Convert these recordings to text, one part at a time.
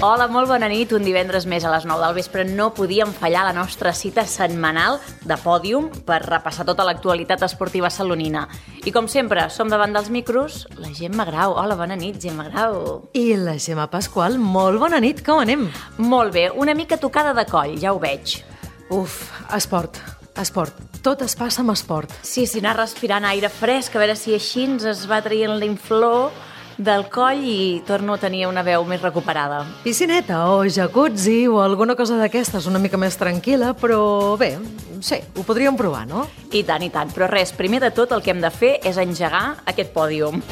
Hola, molt bona nit. Un divendres més a les 9 del vespre no podíem fallar la nostra cita setmanal de Pòdium per repassar tota l'actualitat esportiva salonina. I com sempre, som davant dels micros la Gemma Grau. Hola, bona nit, Gemma Grau. I la Gemma Pasqual. Molt bona nit, com anem? Molt bé, una mica tocada de coll, ja ho veig. Uf, esport. Tot es passa amb esport. Sí, anar respirant aire fresc, a veure si així es va traient l'inflor del coll i torno a tenir una veu més recuperada. Piscineta o jacuzzi o alguna cosa d'aquestes una mica més tranquil·la, però bé, sí, ho podríem provar, no? I tant, però res, primer de tot el que hem de fer és engegar aquest pòdium.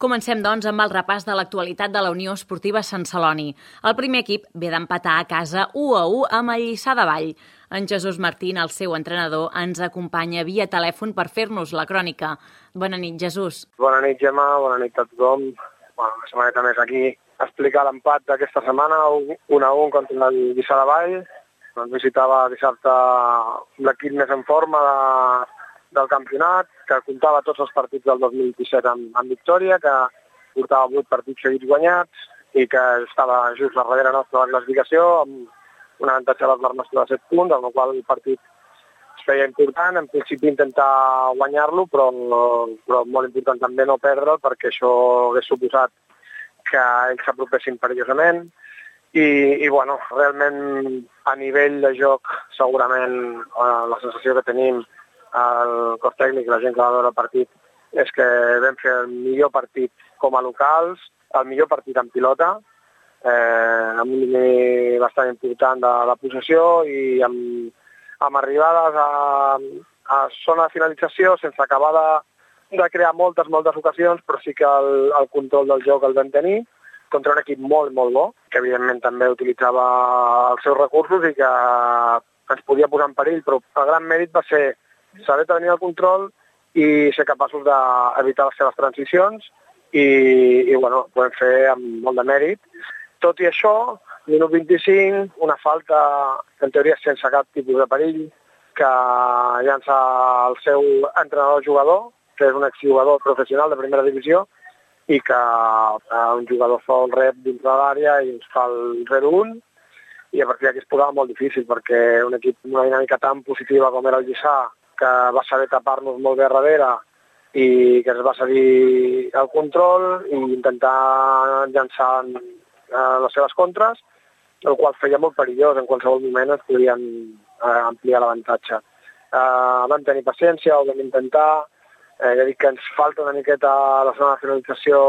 Comencem, doncs, amb el repàs de l'actualitat de la Unió Esportiva Sant Celoni. El primer equip ve d'empatar a casa 1-1 amb el Lliçà de Vall. En Jesús Martín, el seu entrenador, ens acompanya via telèfon per fer-nos la crònica. Bona nit, Jesús. Bona nit, Gemma, bona nit a tothom. Una setmaneta més aquí a explicar l'empat d'aquesta setmana, 1-1 contra el Lliçà de Vall. Ens visitava dissabte l'equip més en forma del campionat, que comptava tots els partits del 2017 amb victòria, que portava 8 partits seguits guanyats i que estava just darrere nostra de la classificació, amb un avantatge de la nostra de 7 punts, amb el qual el partit es feia important. En principi intentar guanyar-lo, però molt important també no perdre'l, perquè això hauria suposat que ells s'apropessin perillosament. I bueno, realment a nivell de joc segurament la sensació que tenim el cos tècnic i la gent que va veure el partit és que vam fer el millor partit com a locals, el millor partit en pilota, amb un nivell bastant important de la possessió i amb arribades a zona de finalització sense acabar de crear moltes ocasions, però sí que el control del joc el vam tenir contra un equip molt bo, que evidentment també utilitzava els seus recursos i que ens podia posar en perill, però el gran mèrit va ser saber tenir el control i ser capaços d'evitar les seves transicions i bueno, ho vam fer amb molt de mèrit. Tot i això, minut 25, una falta en teoria sense cap tipus de perill que llança el seu entrenador-jugador, que és un exjugador professional de primera divisió i que un jugador sol rep dintre de l'àrea i ens fa el 0-1 i a partir d'aquí es posava molt difícil perquè un equip amb una dinàmica tan positiva com era el Lliçà, que va saber tapar-nos molt bé darrere i que es va cedir el control i intentar llançar les seves contres, el qual feia molt perillós. En qualsevol moment es podien ampliar l'avantatge. Vam tenir paciència, ho vam intentar. Ja dic que ens falta una miqueta a la zona de finalització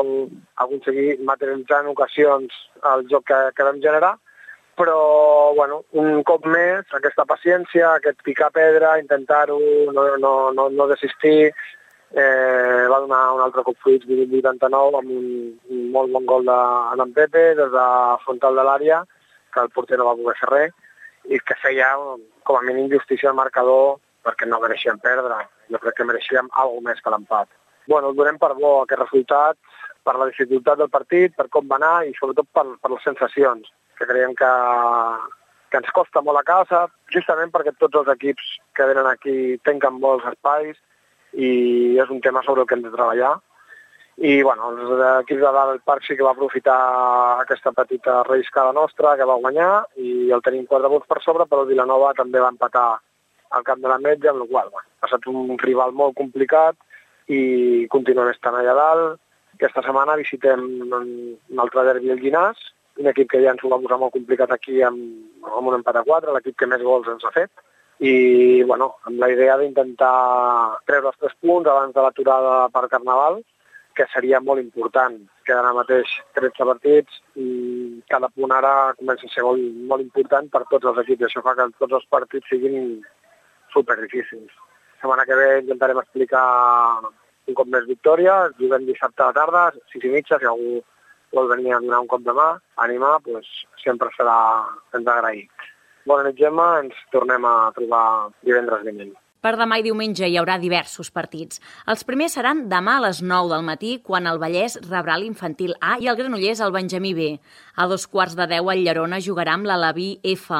aconseguir materialitzar en ocasions el joc que vam generar, però bueno, un cop més, aquesta paciència, aquest picar pedra, intentar-ho, no desistir, va donar un altre cop fruits, 89, amb un molt bon gol d'en Pepe des de frontal de l'àrea, que el porter no va poder fer res, i que feia com a mínim justícia al marcador perquè no mereixíem perdre. Jo crec que mereixíem alguna més que l'empat. Bueno, el donem per bo aquest resultat, per la dificultat del partit, per com va anar i sobretot per les sensacions, que creiem que ens costa molt a casa, justament perquè tots els equips que venen aquí tanquen molts espais i és un tema sobre el que hem de treballar. I bueno, els equips de dalt del parc sí que va aprofitar aquesta petita relliscada nostra, que va guanyar i el tenim 4 punts per sobre, però el Vilanova també va empatar al camp de la Metge, amb la qual cosa ha estat un rival molt complicat i continuem estant allà dalt. Aquesta setmana visitem un altre derbi al Llinàs, un equip que ja ens ho va posar molt complicat aquí amb un empat a 4, l'equip que més gols ens ha fet. I bueno, amb la idea d'intentar treure els 3 punts abans de l'aturada per Carnaval, que seria molt important. Queden ara mateix 13 partits i cada punt ara comença a ser molt important per tots els equips. Això fa que tots els partits siguin superdifícils. La setmana que ve intentarem explicar un cop més victòria. Juguem dissabte a la tarda, 6:30, si algú vol venir a donar un cop de mà, animar, doncs sempre serà agraït. Bona nit, Gemma, ens tornem a trobar divendres vinent. Per demà i diumenge hi haurà diversos partits. Els primers seran demà a les 9 del matí, quan el Vallès rebrà l'Infantil A i el Granollers el Benjamí B. A 9:15 el Llerona jugarà amb l'Alaví F.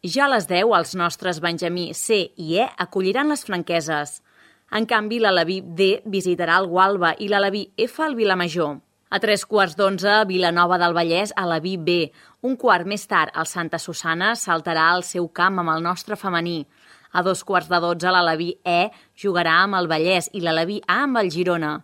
Ja a les 10 els nostres Benjamí C i E acolliran les Franqueses. En canvi, l'Aleví D visitarà el Gualba i l'Aleví F el Vilamajor. A 3:15, Vilanova del Vallès, Aleví B. Un quart més tard, el Santa Susana saltarà al seu camp amb el nostre femení. A 2:15, l'Aleví E jugarà amb el Vallès i l'Aleví A amb el Girona.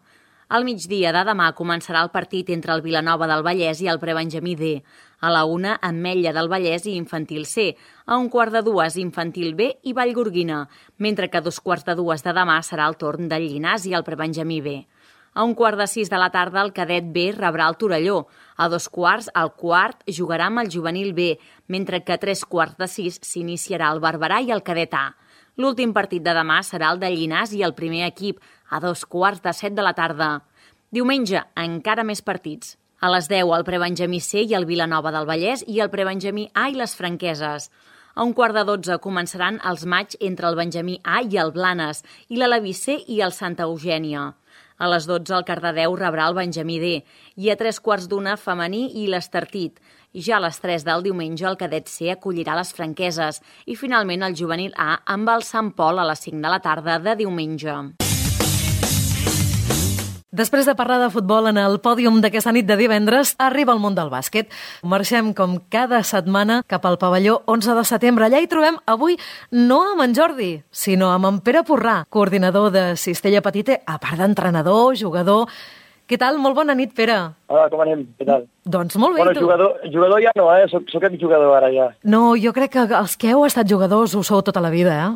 Al migdia de demà començarà el partit entre el Vilanova del Vallès i el Prebenjamí D. A la 1, Ametlla del Vallès i Infantil C. A 1:15, Infantil B i Vallgorguina, mentre que a 2:15 de demà serà el torn del Llinàs i el Prebenjamí B. A 5:15 de la tarda, el cadet B rebrà el Torelló. A 2:15, el quart jugarà amb el juvenil B, mentre que a 3:15 s'iniciarà el Barberà i el cadet A. L'últim partit de demà serà el de Llinàs i el primer equip, a 2:15 de la tarda. Diumenge, encara més partits. A les 10, el Prebenjamí C i el Vilanova del Vallès i el Prebenjamí A i les Franqueses. A 11:15 començaran els matxs entre el Benjamí A i el Blanes i l'Aleví C i el Santa Eugènia. A les 12 el Cardedeu rebrà el Benjamí D i a 3:15 femení i l'Estartit. Ja a les 3 del diumenge el cadet C acollirà les Franqueses i finalment el juvenil A amb el Sant Pol a les 5 de la tarda de diumenge. Després de parlar de futbol en el pòdium d'aquesta nit de divendres, arriba el món del bàsquet. Marxem com cada setmana cap al pavelló 11 de setembre. Allà hi trobem avui no amb en Jordi, sinó amb en Pere Porrà, coordinador de Cistella Petite, a part d'entrenador, jugador. Què tal? Molt bona nit, Pere. Hola, com anem? Què tal? Doncs molt bé, bueno, tu? Jugador ja no, Soc exjugador ara ja. No, jo crec que els que heu estat jugadors ho sou tota la vida,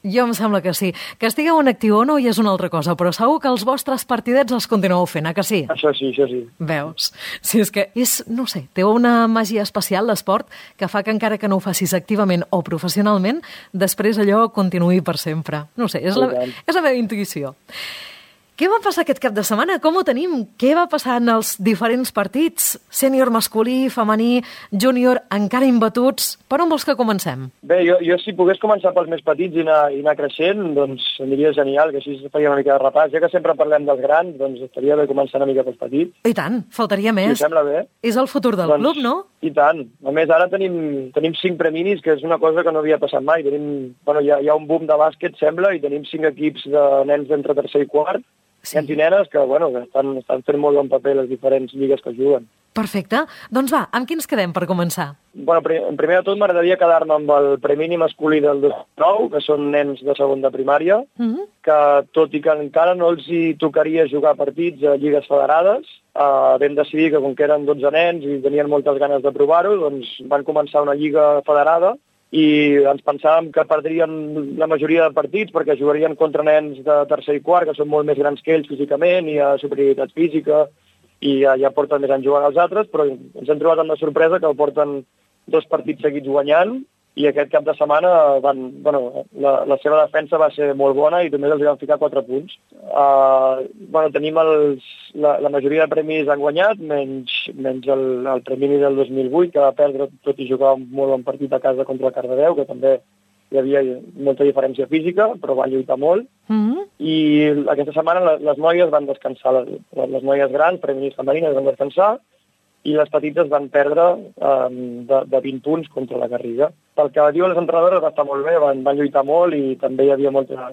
Jo em sembla que sí. Que estigueu en actiu o no ja és una altra cosa, però segur que els vostres partidets els continueu fent, que sí? Això sí. Veus? Sí, és que no sé, té una màgia especial l'esport que fa que encara que no ho facis activament o professionalment, després allò continuï per sempre. No sé, és la meva intuïció. Què va passar aquest cap de setmana? Com ho tenim? Què va passar en els diferents partits? Sènior masculí, femení, júnior, encara imbatuts. Per on vols que comencem? Bé, jo si pogués començar pels més petits i anar creixent, doncs aniria genial, que així faria una mica de repàs. Ja que sempre parlem dels grans, doncs estaria bé començar una mica pels petits. I tant, faltaria més. Si sembla bé. És el futur del club, no? I tant. A més, ara tenim 5 preminis, que és una cosa que no havia passat mai. Hi ha un boom de bàsquet, sembla, i tenim 5 equips de nens d'entre tercer i quart, nens i nenes que estan fent molt bon paper les diferents lligues que juguen. Perfecte. Doncs va, amb qui ens quedem per començar? En primer de tot m'agradaria quedar-me amb el premini masculí del 2009, que són nens de segon de primària, que tot i que encara no els hi tocaria jugar partits a lligues federades, vam decidir que com que eren 12 nens i tenien moltes ganes de provar-ho, doncs van començar una lliga federada i ens pensàvem que perdrien la majoria de partits perquè jugarien contra nens de tercer i quart, que són molt més grans que ells físicament, i hi ha superioritat física, i ja porten més anys jugant els altres, però ens hem trobat amb la sorpresa que porten 2 partits seguits guanyant, i aquest cap de setmana la seva defensa va ser molt bona i només els van ficar 4 punts. Tenim la majoria de premis han guanyat, menys el premi del 2008, que va perdre tot i jugar un molt bon partit a casa contra el Cardedeu, que també hi havia molta diferència física, però van lluitar molt. I aquesta setmana les noies van descansar, les noies grans, premis femenines, van descansar, i les petites van perdre de 20 punts contra la Garriga. Pel que diuen les entrenadores va estar molt bé, van lluitar molt i també hi havia molta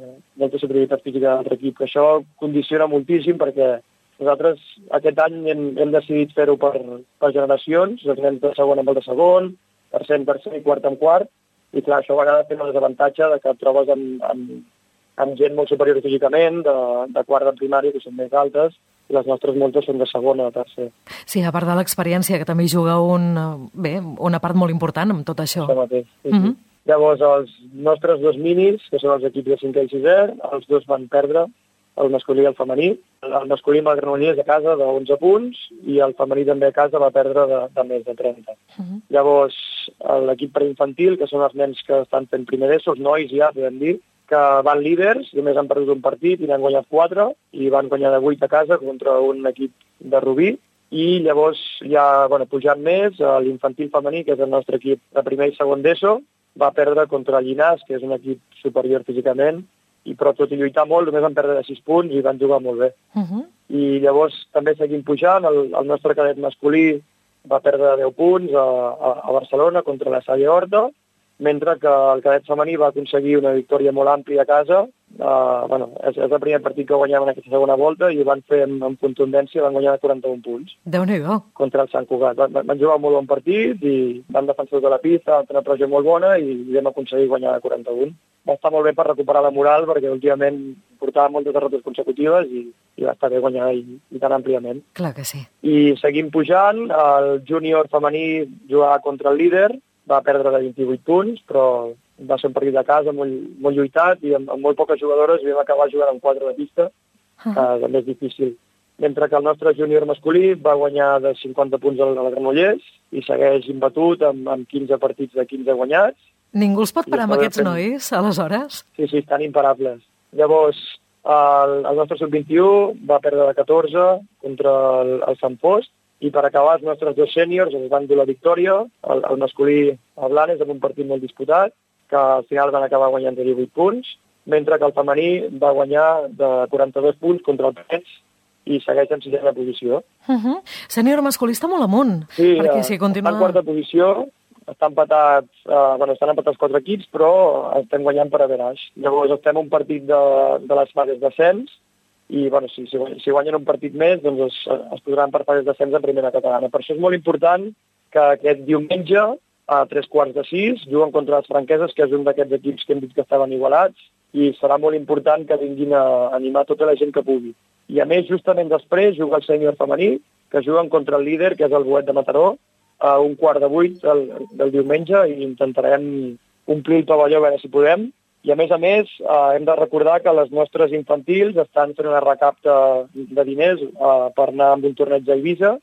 superioritat física de l'altre equip, que això condiciona moltíssim perquè nosaltres aquest any hem decidit fer-ho per generacions, els nens de segon amb el de segon, tercer en tercer i quart en quart, i clar, això a vegades té un desavantatge de que et trobes amb gent molt superior físicament, de quart de primària, que són més altes, i les nostres moltes són de segona o tercer. Sí, a part de l'experiència, que també hi juga una part molt important amb tot això. Això mateix, sí. Llavors, els nostres 2 minis, que són els equips de 5è i 6è, els 2 van perdre, el masculí i el femení. El masculí amb el Granollers a casa de 11 punts i el femení també a casa va perdre de més de 30. Llavors, l'equip preinfantil, que són els nens que estan fent primer d'ESO, els nois ja, podem dir, que van líders, només han perdut un partit i n'han guanyat 4, i van guanyar de 8 a casa contra un equip de Rubí, i llavors ja, pujant més, l'infantil femení, que és el nostre equip de primer i segon d'ESO, va perdre contra el Llinàs, que és un equip superior físicament, però tot i lluitar molt, només van perdre de 6 punts i van jugar molt bé. I llavors també seguim pujant, el nostre cadet masculí va perdre 10 punts a Barcelona contra la Salle Horta, mentre que el cadet femení va aconseguir una victòria molt àmplia a casa és el primer partit que guanyem en aquesta segona volta i van fer amb contundència, van guanyar 41 punts. Déu-n'hi-do. Contra el Sant Cugat. Van jugar un molt bon partit i van defensar tota la pista, van fer una pressió molt bona i vam aconseguir guanyar 41. Va estar molt bé per recuperar la moral perquè últimament portava moltes derrotes consecutives i va estar bé guanyar i tan àmpliament. Clar que sí. I seguim pujant, el júnior femení jugava contra el líder, va perdre de 28 punts, però va ser un partit de casa molt lluitat i amb molt poques jugadores i vam acabar jugant amb 4 de pista, que també és difícil. Mentre que el nostre júnior masculí va guanyar de 50 punts al Granollers i segueix imbatut amb 15 partits de 15 guanyats. Ningú els pot parar amb aquests nois, aleshores? Sí, estan imparables. Llavors, el nostre sub-21 va perdre de 14 contra el Sant Fost i per acabar els nostres 2 sèniors es van dur la victòria, el masculí a Blanes amb un partit molt disputat, que al final van acabar guanyant de 18 punts, mentre que el femení va guanyar de 42 punts contra el Pets i segueix en 6a posició. Sènior masculí està molt amunt. Sí, perquè si continua... està en 4a posició, estan empatats 4 equips, però estem guanyant per averaix. Llavors estem un partit de les fases d'ascens i si guanyen un partit més doncs es posaran per fases d'ascens en primera catalana. Per això és molt important que aquest diumenge a 5:45 juguen contra les Franqueses, que és un d'aquests equips que hem dit que estaven igualats, i serà molt important que vinguin a animar tota la gent que pugui. I a més, justament després, juga el sènior femení, que juguen contra el líder, que és el Boet de Mataró, a 7:15 del diumenge, i intentarem omplir el pavelló a veure si podem. I a més, hem de recordar que les nostres infantils estan fent una recapta de diners per anar amb un torneig a Eivissa,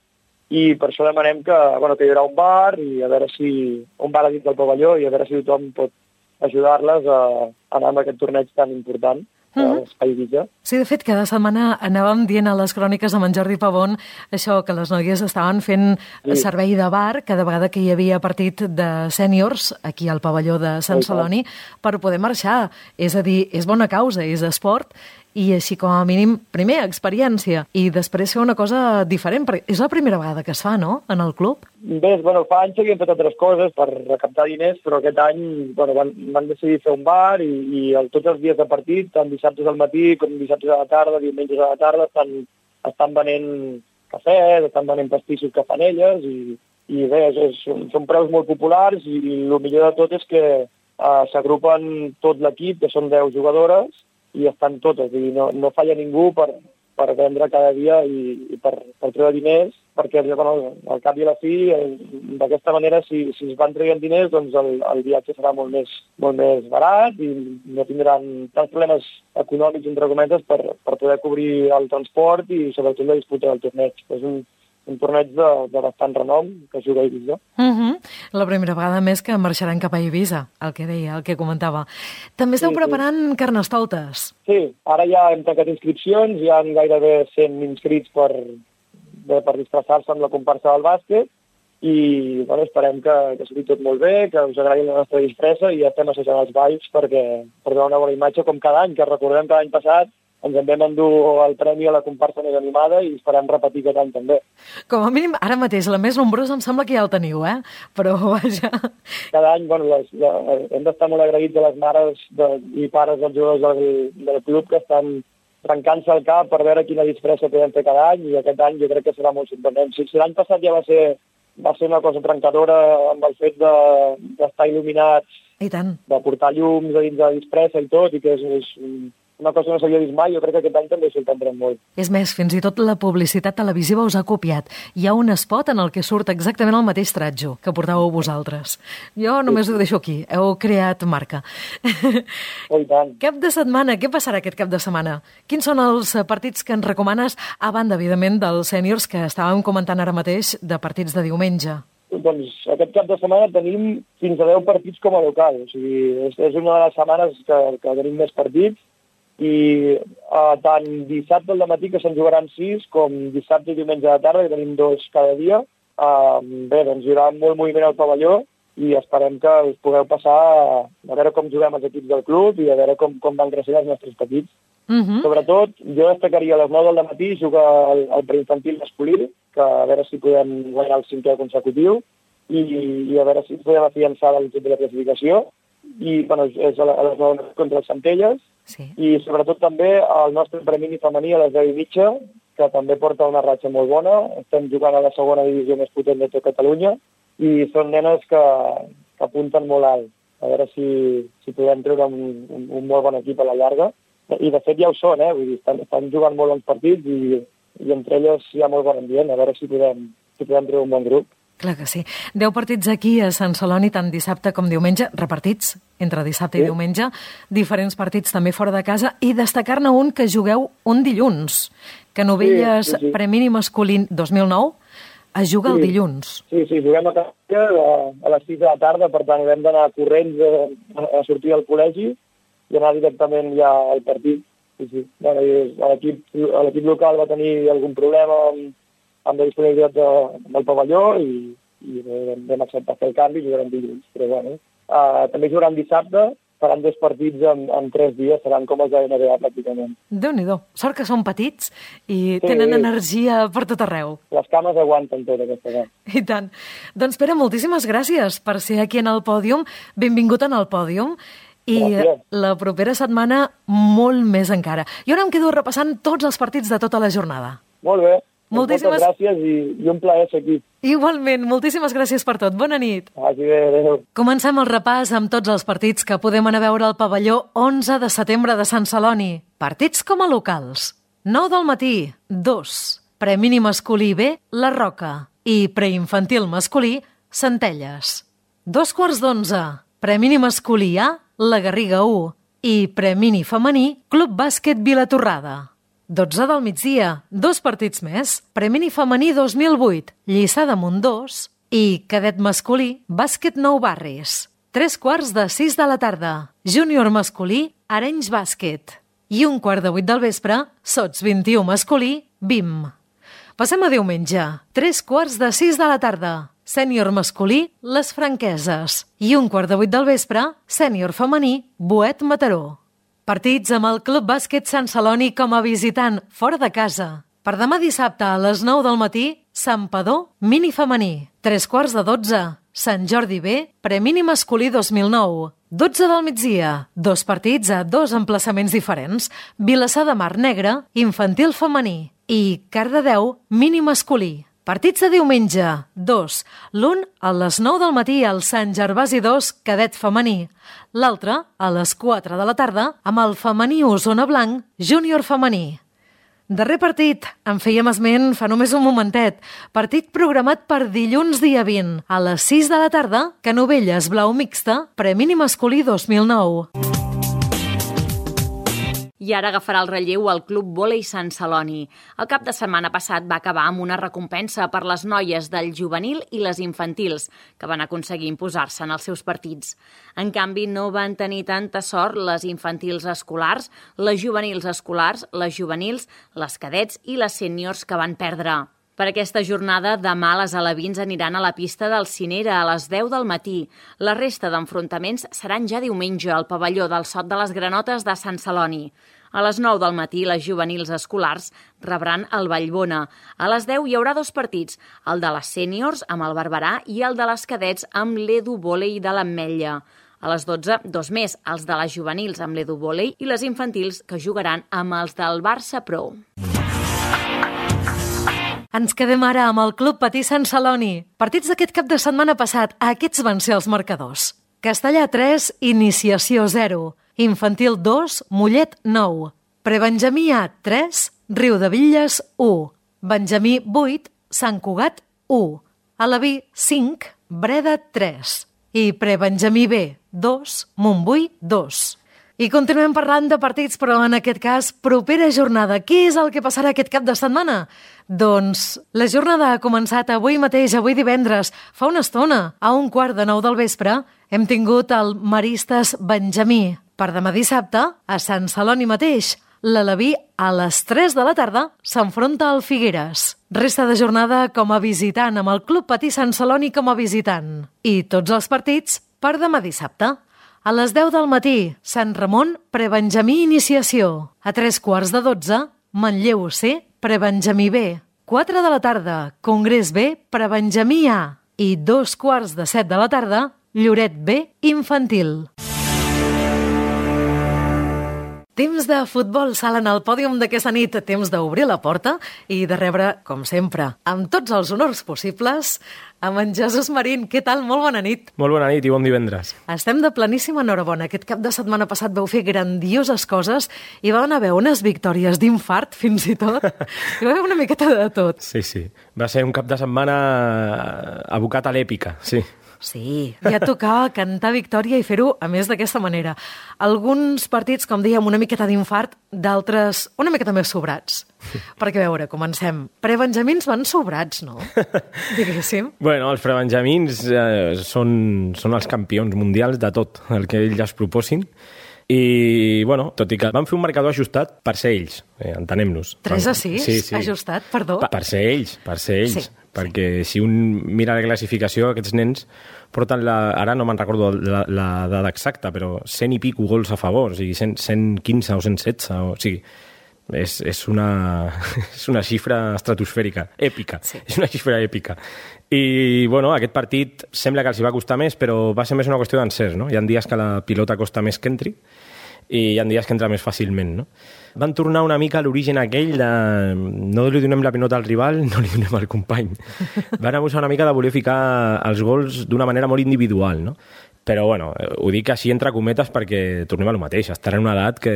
i per això demanem que hi haurà un bar, i a veure un bar a dins del pavelló, i a veure si tothom pot ajudar-les a anar amb aquest torneig tan important. Sí, de fet, cada setmana anàvem dient a les cròniques amb en Jordi Pavón això, que les noies estaven fent servei de bar cada vegada que hi havia partit de sèniors aquí al pavelló de Sant Celoni per poder marxar. És a dir, és bona causa, és esport, i així com a mínim, primer, experiència, i després fer una cosa diferent, perquè és la primera vegada que es fa, no?, en el club? Bé, fa anys que havíem fet altres coses per recaptar diners, però aquest any van decidir fer un bar i tots els dies de partit, tant dissabtes al matí com dissabtes a la tarda, diumenges a la tarda, estan venent cafès, estan venent pastissos que fan elles, i bé, són preus molt populars, i el millor de tot és que s'agrupen tot l'equip, que són 10 jugadores, i estan totes, no falla ningú per vendre cada dia i per treure diners, perquè al cap i a la fi, d'aquesta manera, si es van traient diners, doncs el viatge serà molt més barat i no tindran tants problemes econòmics, entre cometes, per poder cobrir el transport i sobretot la disputa del torneig. És un torneig de bastant renom que es juga a Eivissa. La primera vegada més que marxaran cap a Eivissa, el que deia, el que comentava. També esteu preparant carnestoltes. Sí, ara ja hem tancat inscripcions, hi ha gairebé 100 inscrits per disfressar-se amb la comparsa del bàsquet i esperem que sigui tot molt bé, que us agradi la nostra disfressa i ja estem assajant els balls perquè donar una bona imatge com cada any, que recordem que l'any passat ens en vam endur el premi a la comparsa més animada i esperem repetir aquest any també. Com a mínim, ara mateix, la més nombrosa em sembla que ja el teniu, Però, vaja... Cada any, hem d'estar molt agraïts a les mares i pares dels jugadors del club que estan trencant-se el cap per veure quina disfressa podem fer cada any i aquest any jo crec que serà molt sorprenent. Si l'any passat ja va ser una cosa trencadora amb el fet d'estar il·luminats, i tant, de portar llums a dins de la disfressa i tot, i que és una cosa que no s'havia vist mai, jo crec que aquest any també sorprendrem molt. És més, fins i tot la publicitat televisiva us ha copiat. Hi ha un spot en el que surt exactament el mateix tratjo que portàveu vosaltres. Jo només ho deixo aquí, heu creat marca. Oh, i tant. Cap de setmana, què passarà aquest cap de setmana? Quins són els partits que ens recomanes, a banda, evidentment, dels sèniors que estàvem comentant ara mateix, de partits de diumenge? Doncs aquest cap de setmana tenim fins a 10 partits com a local. O sigui, és una de les setmanes que tenim més partits i tant dissabte al matí, que se'n jugaran 6, com dissabte i diumenge a la tarda, que tenim 2 cada dia. Bé, doncs hi haurà molt moviment al pavelló i esperem que us pugueu passar a veure com juguem els equips del club i a veure com van creixent els nostres petits. Sobretot, jo destacaria a les 9 del matí jugar el preinfantil masculí, que a veure si podem guanyar el 5è consecutiu i a veure si podem afiançar l'equip de la classificació. i és a les 9 contra els Centelles, Sí. i sobretot també el nostre premini femení a les 10:30, que també porta una ratxa molt bona. Estem jugant a la segona divisió més potent de tot Catalunya i són nenes que apunten molt alt. A veure si podem treure un molt bon equip a la llarga. I de fet ja ho són, vull dir, estan jugant molt bons partits i entre elles hi ha molt bon ambient. A veure si podem treure un bon grup. Clar que sí. 10 partits aquí a Sant Celoni, tant dissabte com diumenge, repartits entre dissabte i diumenge, diferents partits també fora de casa, i destacar-ne un que jugueu un dilluns, que Novelles Premini Masculí 2009 es juga el dilluns. Sí, juguem a Castella a les 6 de la tarda, per tant hem d'anar corrents a sortir del col·legi i anar directament ja al partit. Sí. Bueno, l'equip local va tenir algun problema amb la disponibilitat del pavelló i vam acceptar fer el canvi i jugarem dilluns. Però bueno, també jugaran dissabte, faran 2 partits en 3 dies, seran com els de NBA pràcticament. Déu-n'hi-do. Sort que són petits i tenen energia per tot arreu. Les cames aguanten tot aquesta cosa. I tant. Doncs Pere, moltíssimes gràcies per ser aquí en el pòdium. Benvingut en el pòdium. I la propera setmana molt més encara. Jo ara em quedo repassant tots els partits de tota la jornada. Molt bé. Moltes gràcies i un plaer ser aquí. Igualment, moltíssimes gràcies per tot. Bona nit. Vagi bé, adéu. Comencem el repàs amb tots els partits que podem anar a veure al pavelló 11 de setembre de Sant Celoni. Partits com a locals. 9 del matí, 2. Premini masculí B, La Roca. I preinfantil masculí, Centelles. 2:15. Premini masculí A, La Garriga 1. I premini femení, Club Bàsquet Vilatorrada. 12 del migdia, 2 partits més, Premini femení 2008, Lliçà d'Amunt 2 i cadet masculí, Bàsquet Nou Barris. 3:45 de la tarda, júnior masculí, Arenys Bàsquet. I 7:15 del vespre, Sots 21 masculí, BIM. Passem a diumenge, 3:15 de la tarda, sènior masculí, Les Franqueses. I 7:15 del vespre, sènior femení, Boet Mataró. Partits amb el Club Bàsquet Sant Celoni com a visitant fora de casa. Per demà dissabte a les 9 del matí, Santpedor mini femení. 3:15, Sant Jordi B, premini masculí 2009. 12 del migdia, 2 partits a 2 emplaçaments diferents. Vilassar de Mar Negra, infantil femení. I Cardedeu mini masculí. Partits de diumenge, 2. L'un a les 9 del matí al Sant Gervasi 2, cadet femení. L'altre a les 4 de la tarda amb el femení Osona Blanc, júnior femení. Darrer partit, en fèiem esment fa només un momentet. Partit programat per dilluns dia 20 a les 6 de la tarda, Canovelles Blau Mixta, premini masculí 2009. I ara agafarà el relleu el Club Vòlei Sant Celoni. El cap de setmana passat va acabar amb una recompensa per les noies del juvenil i les infantils, que van aconseguir imposar-se en els seus partits. En canvi, no van tenir tanta sort les infantils escolars, les juvenils escolars, les juvenils, les cadets i les sèniors que van perdre. Per aquesta jornada, demà les alevins aniran a la pista del Cinera a les 10 del matí. La resta d'enfrontaments seran ja diumenge al pavelló del Sot de les Granotes de Sant Celoni. A les 9 del matí, les juvenils escolars rebran el Vallbona. A les 10 hi haurà 2 partits, el de les sèniors amb el Barberà i el de les cadets amb l'Edu Vòlei de l'Ametlla. A les 12, 2 més, els de les juvenils amb l'Edu Vòlei i les infantils que jugaran amb els del Barça Pro. Ens quedem ara amb el Club Patí Sant Celoni. Partits d'aquest cap de setmana passat, aquests van ser els marcadors. Castellà 3, Iniciació 0. Infantil 2, Mollet 9. Prebenjamí A 3, Riudebitlles 1. Benjamí 8, Sant Cugat 1. Alaví 5, Breda 3. I Prebenjamí B 2, Montbui 2. I continuem parlant de partits, però en aquest cas, propera jornada. Què és el que passarà aquest cap de setmana? Doncs la jornada ha començat avui mateix, avui divendres, fa una estona. A 8:15 del vespre hem tingut el Maristes Benjamí. Per demà dissabte, a Sant Celoni mateix, l'Alaví a les 3 de la tarda s'enfronta al Figueres. Resta de jornada com a visitant, amb el Club Patí Sant Celoni com a visitant. I tots els partits per demà dissabte. A les 10 del matí, Sant Ramon, Prebenjamí Iniciació. A 3:15, Manlleu C, Prebenjamí B. 4 de la tarda, Congrés B, Prebenjamí A. I 2:15 de la tarda, Lloret B, Infantil. Temps de futbol sala en el pòdium d'aquesta nit, temps d'obrir la porta i de rebre, com sempre, amb tots els honors possibles, amb en Jesús Marín. Què tal? Molt bona nit. Molt bona nit i bon divendres. Estem de pleníssima enhorabona. Aquest cap de setmana passat vau fer grandioses coses i van haver unes victòries d'infart, fins i tot. Hi va haver una miqueta de tot. Sí. Va ser un cap de setmana abocat a l'èpica, sí. Sí, ja tocava cantar victòria i fer-ho, a més, d'aquesta manera. Alguns partits, com dèiem, una miqueta d'infart, d'altres una miqueta més sobrats. Perquè, a veure, comencem. Prebenjamins van sobrats, no? Diguéssim. Bueno, els prebenjamins són els campions mundials de tot el que ells es proposin. I, bueno, tot i que van fer un marcador ajustat per ser ells, entenem-nos. 3-6? Sí. Ajustat, perdó? Per ser ells. Sí. Perquè si un mira la classificació, aquests nens porten ara no me'n recordo la dada exacta, però 100 i pico gols a favor, o sigui, 115 o 116, o sigui, és una xifra estratosfèrica, èpica, sí. És una xifra èpica. I, bueno, aquest partit sembla que els hi va costar més, però va ser més una qüestió d'encerts, no? Hi ha dies que la pilota costa més que entri, i hi ha dies que entra més fàcilment, no? Van tornar una mica a l'origen aquell de no li donem la pilota al rival, no li donem al company. Van abusar una mica de voler ficar els gols d'una manera molt individual, no? Però, bueno, ho dic així entre cometes perquè tornem a lo mateix. Estan en una edat que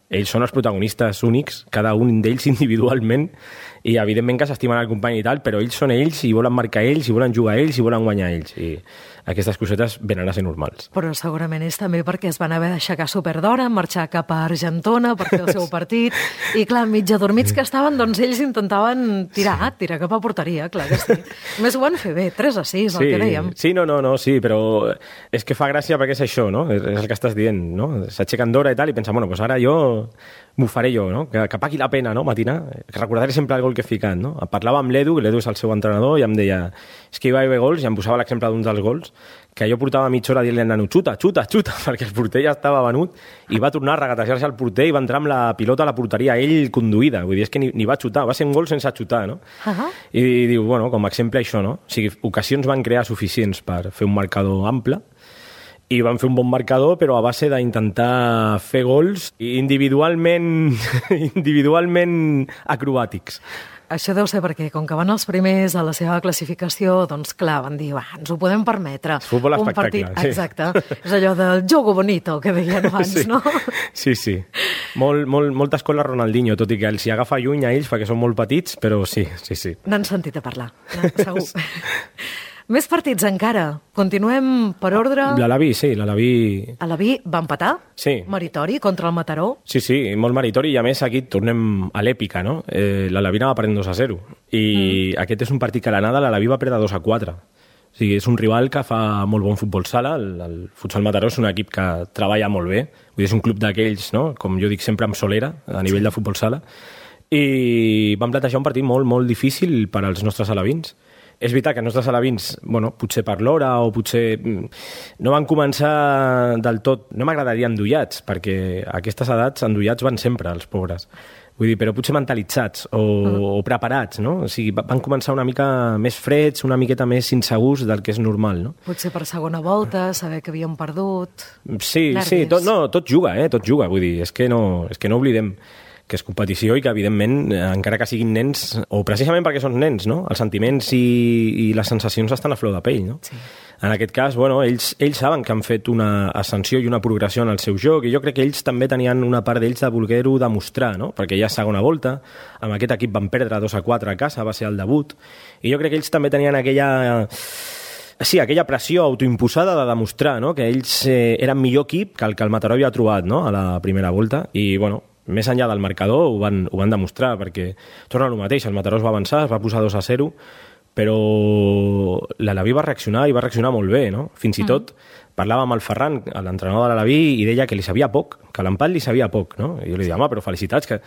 ells són els protagonistes únics, cada un d'ells individualment, i evidentment que s'estimen el company i tal, però ells són ells i volen marcar ells, i volen jugar ells, i volen guanyar ells. I aquestes cosetes venen a ser normals. Però segurament és també perquè es van haver d'aixecar superdora, marxar cap a Argentona per fer el seu partit, i clar, mig adormits que estaven, doncs ells intentaven tirar cap a porteria, clar que sí. A més ho van fer bé, 3-6, el que dèiem. Sí, sí, però és que fa gràcia perquè és això, no? És el que estàs dient, no? S'aixequen d'hora i tal, i pensen, bueno, doncs ara jo m'ho faré jo, no? Que pagui la pena, no? Matinar, que recordaré sempre el gol que he ficat, no? Parlava amb l'Edu, que l'Edu és el seu entrenador, i em deia, és que hi va haver gols, i em posava l'exemple d'un dels gols, que jo portava mitja hora dient-li al nano, xuta, perquè el porter ja estava venut, i va tornar a regatejar-se al porter i va entrar amb la pilota a la porteria, ell conduïda, vull dir, és que ni va xutar, va ser un gol sense xutar, no? I diu, bueno, com a exemple això, no? O sigui, ocasions van crear suficients per fer un marcador ample, i van fer un bon marcador, però a base d'intentar fer gols individualment acrobàtics. Això deu ser perquè, com que van els primers a la seva classificació, doncs clar, van dir, ens ho podem permetre. Futbol espectacle, sí. Exacte. És allò del jogo bonito, que deien abans, sí. No? Sí. Molta escola Ronaldinho, tot i que els hi agafa lluny a ells perquè són molt petits, però sí. N'han sentit a parlar, segur. Més partits encara. Continuem per ordre. L'Alaví. Alaví va empatar? Sí. Meritori contra el Mataró? Sí, molt meritori, i a més aquí tornem a l'èpica, no? L'Alaví anava perdent 2-0, i aquest és un partit que a l'anada l'Alaví va perdre 2-4. O sigui, és un rival que fa molt bon futbol sala, el Futsal Mataró és un equip que treballa molt bé, vull dir, és un club d'aquells, no? Com jo dic sempre, amb solera, a nivell de futbol sala, i van plantejar un partit molt, molt difícil per als nostres alevins. És veritat que els nostres alevins, bueno, potser per l'hora o potser no van començar del tot, no m'agradaria endollats, perquè a aquestes edats endollats van sempre, els pobres. Vull dir, però potser mentalitzats o preparats, no? O sigui, van començar una mica més freds, una miqueta més insegurs del que és normal, no? Potser per segona volta, saber que havien perdut... Sí, tot juga, vull dir, és que no oblidem que és competició i que, evidentment, encara que siguin nens, o precisament perquè són nens, no? Els sentiments i les sensacions estan a flor de pell, no? Sí. En aquest cas, bueno, ells saben que han fet una ascensió i una progressió en el seu joc, i jo crec que ells també tenien una part d'ells de voler-ho demostrar, no? Perquè ja és segona volta, amb aquest equip van perdre 2-4 a casa, va ser el debut, i jo crec que ells també tenien aquella pressió autoimposada de demostrar, no? Que ells eren millor equip que el Mataró havia trobat, no? A la primera volta, i, bueno, més enllà del marcador ho van demostrar, perquè torna al mateix, el Mataró es va avançar, es va posar 2-0, però l'Alaví va reaccionar i va reaccionar molt bé, no? Fins i tot parlava amb el Ferran, l'entrenador de l'Alaví, i deia que li sabia poc, que l'empat li sabia poc, no? I jo li deia, home, però felicitats, que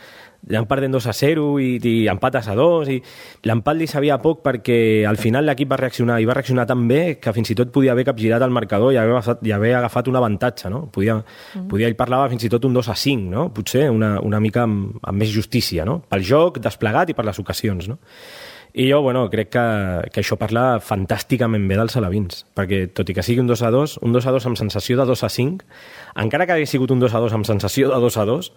ja en perdent 2-0 i empates a 2, i l'empat li sabia poc perquè al final l'equip va reaccionar, i va reaccionar tan bé que fins i tot podia haver capgirat el marcador i haver agafat un avantatge, no? Ell parlava fins i tot un 2-5, no? Potser una mica amb més justícia, no? Pel joc desplegat i per les ocasions, no? I jo, crec que això parla fantàsticament bé dels alevins, perquè tot i que sigui un 2-2 amb sensació de 2-5, encara que hagi sigut un 2-2 amb sensació de 2-2,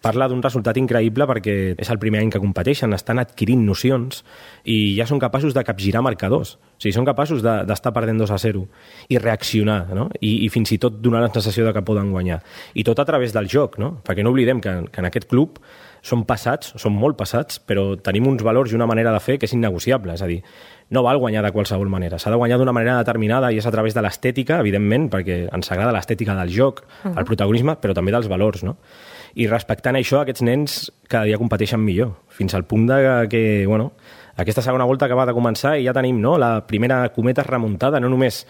parla d'un resultat increïble perquè és el primer any que competeixen, estan adquirint nocions i ja són capaços de capgirar marcadors. O sigui, són capaços d'estar perdent 2-0 i reaccionar, no? I fins i tot donar la sensació de que poden guanyar. I tot a través del joc, no? Perquè no oblidem que en aquest club són molt passats, però tenim uns valors i una manera de fer que és innegociable. És a dir, no val guanyar de qualsevol manera. S'ha de guanyar d'una manera determinada i és a través de l'estètica, evidentment, perquè ens agrada l'estètica del joc, el protagonisme, però també dels valors, no? I respectant això, aquests nens cada dia competeixen millor, fins al punt de que, aquesta segona volta acaba de començar i ja tenim, no?, la primera cometa remuntada, no només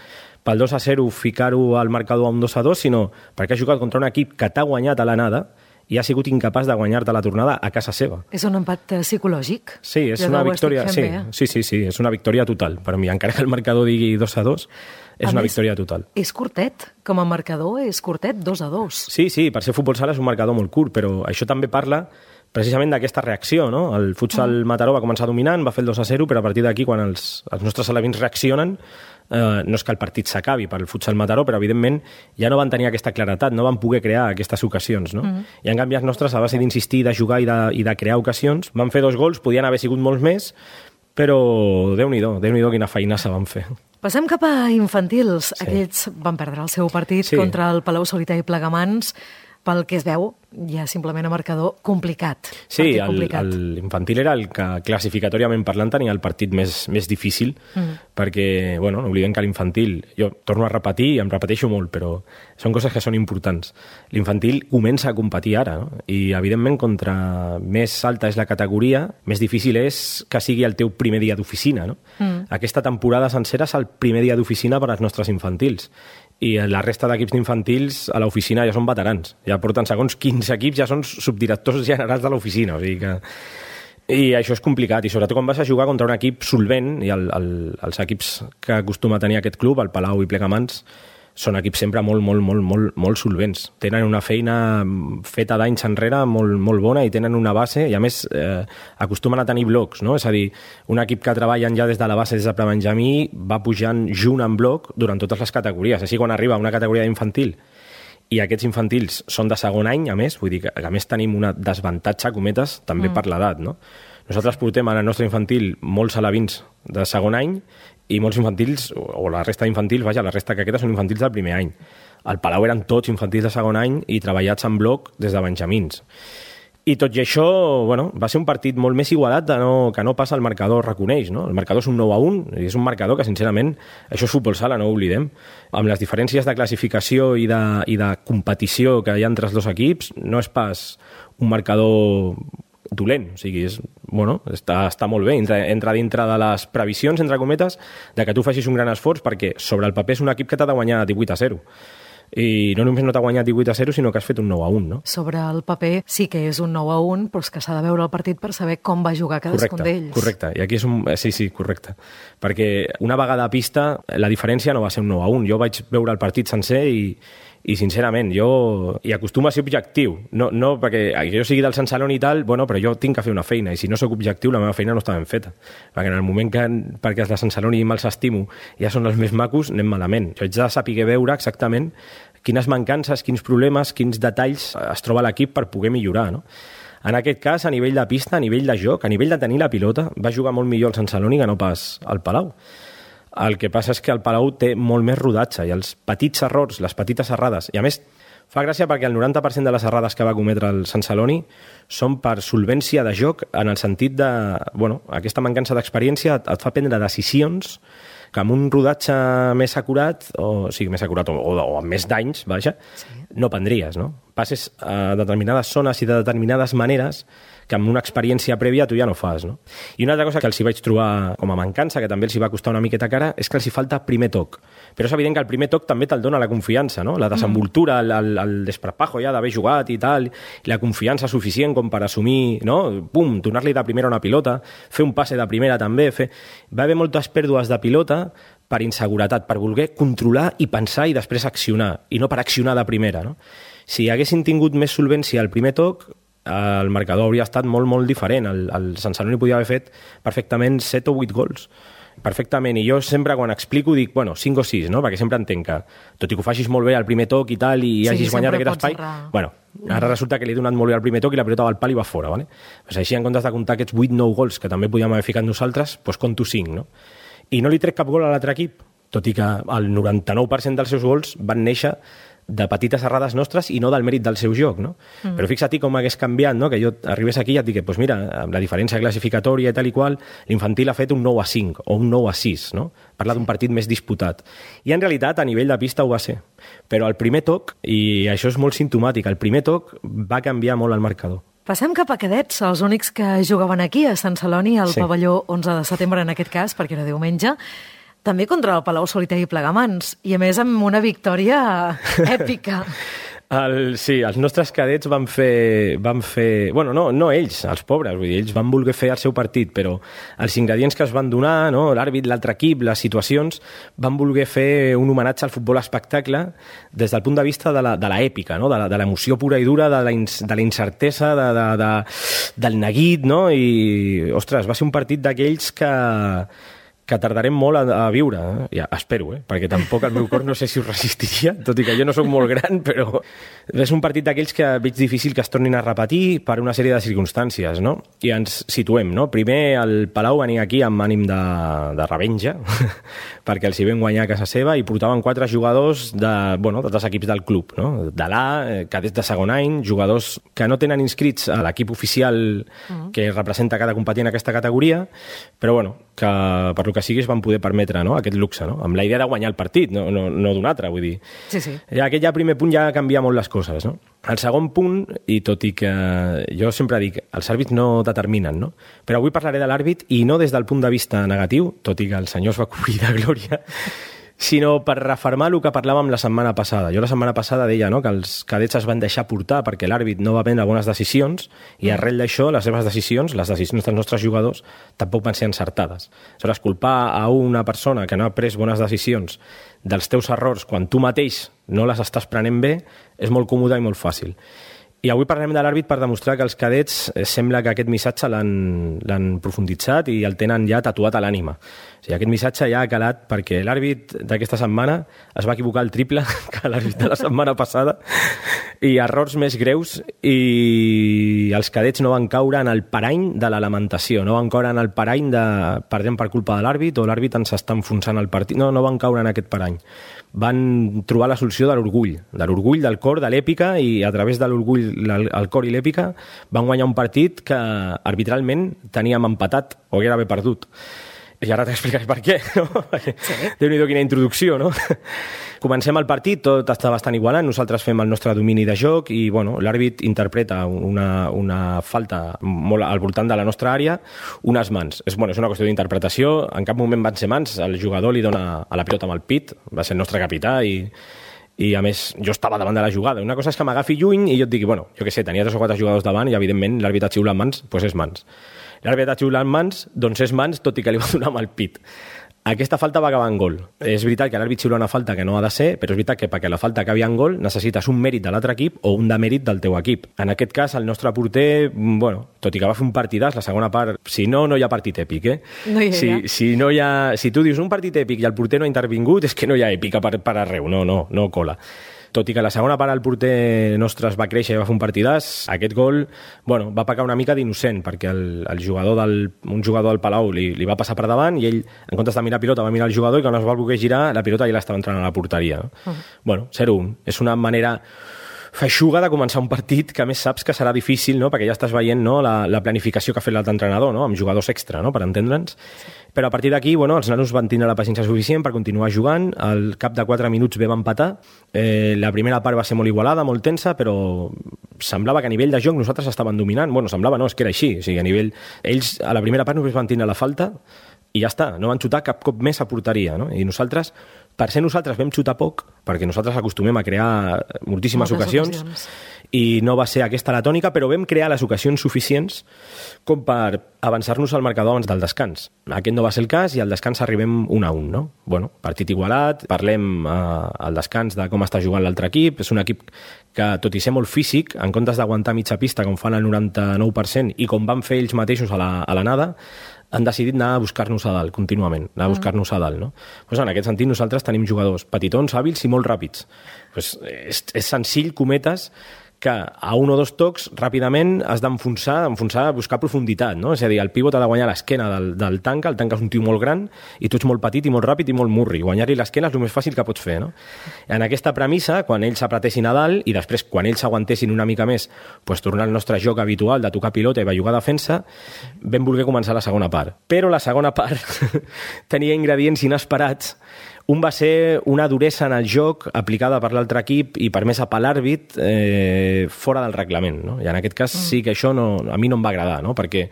pel 2-0 ficar-ho al marcador a un 2-2, sinó perquè ha jugat contra un equip que t'ha guanyat a l'anada i ha sigut incapaç de guanyar-te la tornada a casa seva. És un empat psicològic? Sí, és una victòria. Sí, és una victòria total. Per mi, encara que el marcador digui 2-2, és una victòria total. És curtet, com a marcador, és curtet, 2-2. Sí, per ser futbol sala és un marcador molt curt, però això també parla precisament d'aquesta reacció, no? El futsal Mataró va començar dominant, va fer el 2-0, però a partir d'aquí, quan els nostres alevins reaccionen, no és que el partit s'acabi pel futsal Mataró, però evidentment ja no van tenir aquesta claretat, no van poder crear aquestes ocasions, no? I en canvi els nostres, a base d'insistir, de jugar i de crear ocasions, van fer 2 gols, podien haver sigut molts més, però Déu-n'hi-do quina feina se van fer. Passem cap a infantils. Sí. Aquests van perdre el seu partit contra el Palau Solità i Plegamans. Pel que es veu, ja simplement a marcador complicat. Sí, l'infantil era el que classificatòriament parlant tenia el partit més difícil, perquè, no oblidem que l'infantil, jo torno a repetir i em repeteixo molt, però són coses que són importants. L'infantil comença a competir ara, no? I evidentment contra més alta és la categoria, més difícil és que sigui el teu primer dia d'oficina, no? Aquesta temporada sencera és el primer dia d'oficina per als nostres infantils. I la resta d'equips d'infantils a l'oficina ja són veterans. Ja porten segons 15 equips, ja són subdirectors generals de l'oficina. O sigui que... I això és complicat, i sobretot quan vas a jugar contra un equip solvent, i els equips que acostuma a tenir aquest club, el Palau i Plegamans, són equips sempre molt solvents. Tenen una feina feta d'anys enrere molt bona i tenen una base, i a més acostumen a tenir blocs, no? És a dir, un equip que treballen ja des de la base, des de prebenjamí, va pujant junt en bloc durant totes les categories. Així, quan arriba una categoria d'infantil i aquests infantils són de segon any, a més, vull dir que a més tenim una desavantatge, cometes, també per l'edat, no? Nosaltres portem en el nostre infantil molts alevins de segon any i molts infantils, o la resta d'infantils, la resta que queda són infantils del primer any. Al Palau eren tots infantils de segon any i treballats en bloc des de benjamins. I tot i això, va ser un partit molt més igualat que no passa el marcador reconeix, no? El marcador és un 9-1, i és un marcador que, sincerament, això és futbol sala, no ho oblidem. Amb les diferències de classificació i de competició que hi ha entre els dos equips, no és pas un marcador dolent, o sigui, està molt bé, entra dintre de les previsions, entre cometes, de que tu facis un gran esforç, perquè sobre el paper és un equip que t'ha de guanyar 18-0. I no només no t'ha guanyat 18-0, sinó que has fet un 9-1, no? Sobre el paper sí que és un 9-1, però és que s'ha de veure el partit per saber com va jugar cadascun d'ells. Correcte, i aquí és un... Sí, correcte. Perquè una vegada a pista, la diferència no va ser un 9-1. Jo vaig veure el partit sencer i sincerament, hi acostuma a ser objectiu. No perquè jo sigui del Sant Celoni i tal, però jo tinc que fer una feina, i si no sóc objectiu, la meva feina no està ben feta. Perquè en el moment que, perquè els de Sant Celoni me'ls estimo, ja són els més macos, anem malament. Jo haig de saber veure exactament quines mancances, quins problemes, quins detalls es troba l'equip per poder millorar, no? En aquest cas, a nivell de pista, a nivell de joc, a nivell de tenir la pilota, va jugar molt millor el Sant Celoni que no pas el Palau. El que passa és que el Palau té molt més rodatge i els petits errors, les petites errades, i a més fa gràcia perquè el 90% de les errades que va cometre el Sant Celoni són per solvència de joc, en el sentit de, aquesta mancança d'experiència et fa prendre decisions que amb un rodatge més acurat, o amb més danys, no prendries, no? Passes a determinades zones i de determinades maneres que amb una experiència prèvia tu ja no fas, no? I una altra cosa que els hi vaig trobar com a mancança, que també els hi va costar una miqueta cara, és que els hi falta primer toc. Però és evident que el primer toc també te'l dona la confiança, no? La desenvoltura, el desparpajo ja d'haver jugat i tal, i la confiança suficient com per assumir, no? Donar-li de primera una pilota, fer un passe de primera també, va haver moltes pèrdues de pilota per inseguretat, per voler controlar i pensar i després accionar, i no per accionar de primera, no? Si haguessin tingut més solvència al primer toc, el marcador hauria estat molt, molt diferent. El Sant Celoni podia haver fet perfectament 7 o 8 gols. Perfectament, i jo sempre quan explico dic, 5 o 6, no? Perquè sempre entenc que, tot i que ho facis molt bé al primer toc i tal, i hagis guanyat aquest espai, ara resulta que li he donat molt bé al primer toc i la pilota va al pal i va fora, ¿vale? Pues així, en comptes de comptar aquests 8-9 gols que també podíem haver ficat nosaltres, pues conto 5, no? I no li trec cap gol a l'altre equip, tot i que el 99% dels seus gols van néixer de petites errades nostres i no del mèrit del seu joc, no? Però fixa't com hagués canviat, no? Que jo arribés aquí i et dic, pues mira, amb la diferència classificatòria i tal i qual, l'infantil ha fet un 9-5 o un 9-6, no? Parla d'un partit més disputat. I en realitat, a nivell de pista ho va ser. Però el primer toc, i això és molt simptomàtic, el primer toc va canviar molt el marcador. Passem cap a cadets, els únics que jugaven aquí, a Sant Celoni, al pavelló 11 de setembre en aquest cas, perquè era diumenge, també contra el Palau Solità i Plegamans, i a més amb una victòria èpica. Sí, els nostres cadets van fer... Bueno, no ells, els pobres, vull dir, ells van voler fer el seu partit, però els ingredients que es van donar, no? L'àrbit, l'altre equip, les situacions, van voler fer un homenatge al futbol espectacle des del punt de vista de l'èpica, no? De l'emoció pura i dura, de la incertesa, del neguit, no? I, ostres, va ser un partit d'aquells que tardarem molt a viure, ja, espero, perquè tampoc el meu cor no sé si ho resistiria, tot i que jo no sóc molt gran, però és un partit d'aquells que veig difícil que es tornin a repetir per una sèrie de circumstàncies, no? I ens situem, no? Primer el Palau venia aquí amb ànim de revenja, perquè els hi vam guanyar a casa seva i portaven 4 jugadors d'altres equips del club, no? De l'A, cadets de segon any, jugadors que no tenen inscrits a l'equip oficial que representa cada competint en aquesta categoria, però que per lo que sigui es van poder permetre, no? Aquest luxe, no? Amb la idea de guanyar el partit, no d'un altre, vull dir. Sí. Aquest primer punt ja canvia molt les coses, no? El segon punt, i tot i que jo sempre dic, els àrbits no determinen, no? Però avui parlaré de l'àrbit i no des del punt de vista negatiu, tot i que el senyor es va cobrir de glòria, sinó per refermar el que parlàvem la setmana passada. Jo la setmana passada deia, no?, que els cadets es van deixar portar perquè l'àrbit no va prendre bones decisions i arrel d'això les seves decisions, les decisions dels nostres jugadors, tampoc van ser encertades. Aleshores, culpar a una persona que no ha pres bones decisions dels teus errors quan tu mateix no les estàs prenent bé és molt còmode i molt fàcil. I avui parlarem de l'àrbit per demostrar que els cadets sembla que aquest missatge l'han profunditzat i el tenen ja tatuat a l'ànima. O sigui, aquest missatge ja ha calat perquè l'àrbit d'aquesta setmana es va equivocar el triple que l'àrbit de la setmana passada i errors més greus i els cadets no van caure en el parany de la lamentació, no van caure en el parany de perdem per culpa de l'àrbit o l'àrbit ens està enfonsant el partit. No van caure en aquest parany. Van trobar la solució de l'orgull, del cor, de l'èpica, i a través de l'orgull, el cor i l'èpica van guanyar un partit que arbitralment teníem empatat o hauria d'haver perdut. I ara t'explicaré per què, no? Sí. Déu-n'hi-do quina introducció, no? Comencem el partit, tot està bastant igualant, nosaltres fem el nostre domini de joc i l'àrbit interpreta una falta molt al voltant de la nostra àrea, unes mans. És una qüestió d'interpretació, en cap moment van ser mans, el jugador li dona a la pilota amb el pit, va ser el nostre capità i a més jo estava davant de la jugada. Una cosa és que m'agafi lluny i jo et digui, jo què sé, tenia 3 o 4 jugadors davant i evidentment l'àrbit ha xiulat mans, doncs és mans. L'àrbit ha xiulat mans, doncs és mans, tot i que li va donar amb el pit. Aquesta falta va acabar en gol. És veritat que l'àrbit xiula una falta que no ha de ser, però és veritat que perquè la falta acabi en gol necessites un mèrit de l'altre equip o un demèrit del teu equip. En aquest cas, el nostre porter, tot i que va fer un partidàs, la segona part, si no hi ha partit èpic, No hi ha. Si tu dius un partit èpic i el porter no ha intervingut, és que no hi ha èpica per arreu, no cola. Tot i que la segona part el porter nostre es va créixer i va fer un partidàs, aquest gol va pecar una mica d'innocent, perquè un jugador del Palau li va passar per davant i ell, en comptes de mirar pilota, va mirar el jugador i quan es va voler girar, la pilota ja l'estava entrant a la porteria. 0-1. És una manera feixuga de començar un partit que a més saps que serà difícil, no? Perquè ja estàs veient la planificació que ha fet l'altre entrenador, no? Amb jugadors extra, no? Per entendre'ns. Però a partir d'aquí, els nanos van tindre la paciència suficient per continuar jugant. Al cap de 4 minuts vam empatar. La primera part va ser molt igualada, molt tensa, però semblava que a nivell de joc nosaltres estaven dominant. Semblava no, és que era així. O sigui, a nivell... Ells a la primera part només van tindre la falta i ja està, no van xutar cap cop més a porteria, no? I nosaltres, per ser nosaltres vam xutar poc, perquè nosaltres acostumem a crear moltíssimes ocasions, i no va ser aquesta la tònica, però vam crear les ocasions suficients com per avançar-nos al marcador abans del descans. Aquest no va ser el cas i al descans arribem 1-1, no? Bueno, partit igualat, parlem al descans de com està jugant l'altre equip. És un equip que, tot i ser molt físic, en comptes d'aguantar mitja pista, com fan el 99%, i com van fer ells mateixos a la nada, han decidit anar a buscar-nos a dalt, contínuament, anar a buscar-nos a dalt, no? Pues en aquest sentit, nosaltres tenim jugadors petitons, hàbils i molt ràpids. Pues és senzill, cometes, que a un o dos tocs ràpidament has d'enfonsar, buscar profunditat, no? És a dir, el pivot ha de guanyar l'esquena del tanca, el tanca és un tio molt gran i tu ets molt petit i molt ràpid i molt murri. Guanyar-li l'esquena és el més fàcil que pots fer, no? En aquesta premissa, quan ells s'apretessin a dalt i després, quan ells s'aguantessin una mica més, pues, tornar al nostre joc habitual de tocar pilota i bellugar defensa, vam voler començar la segona part. Però la segona part tenia ingredients inesperats. Un va ser una duresa en el joc aplicada per l'altre equip i permesa per l'àrbit fora del reglament, no? I en aquest cas sí que això a mi no em va agradar, no? Perquè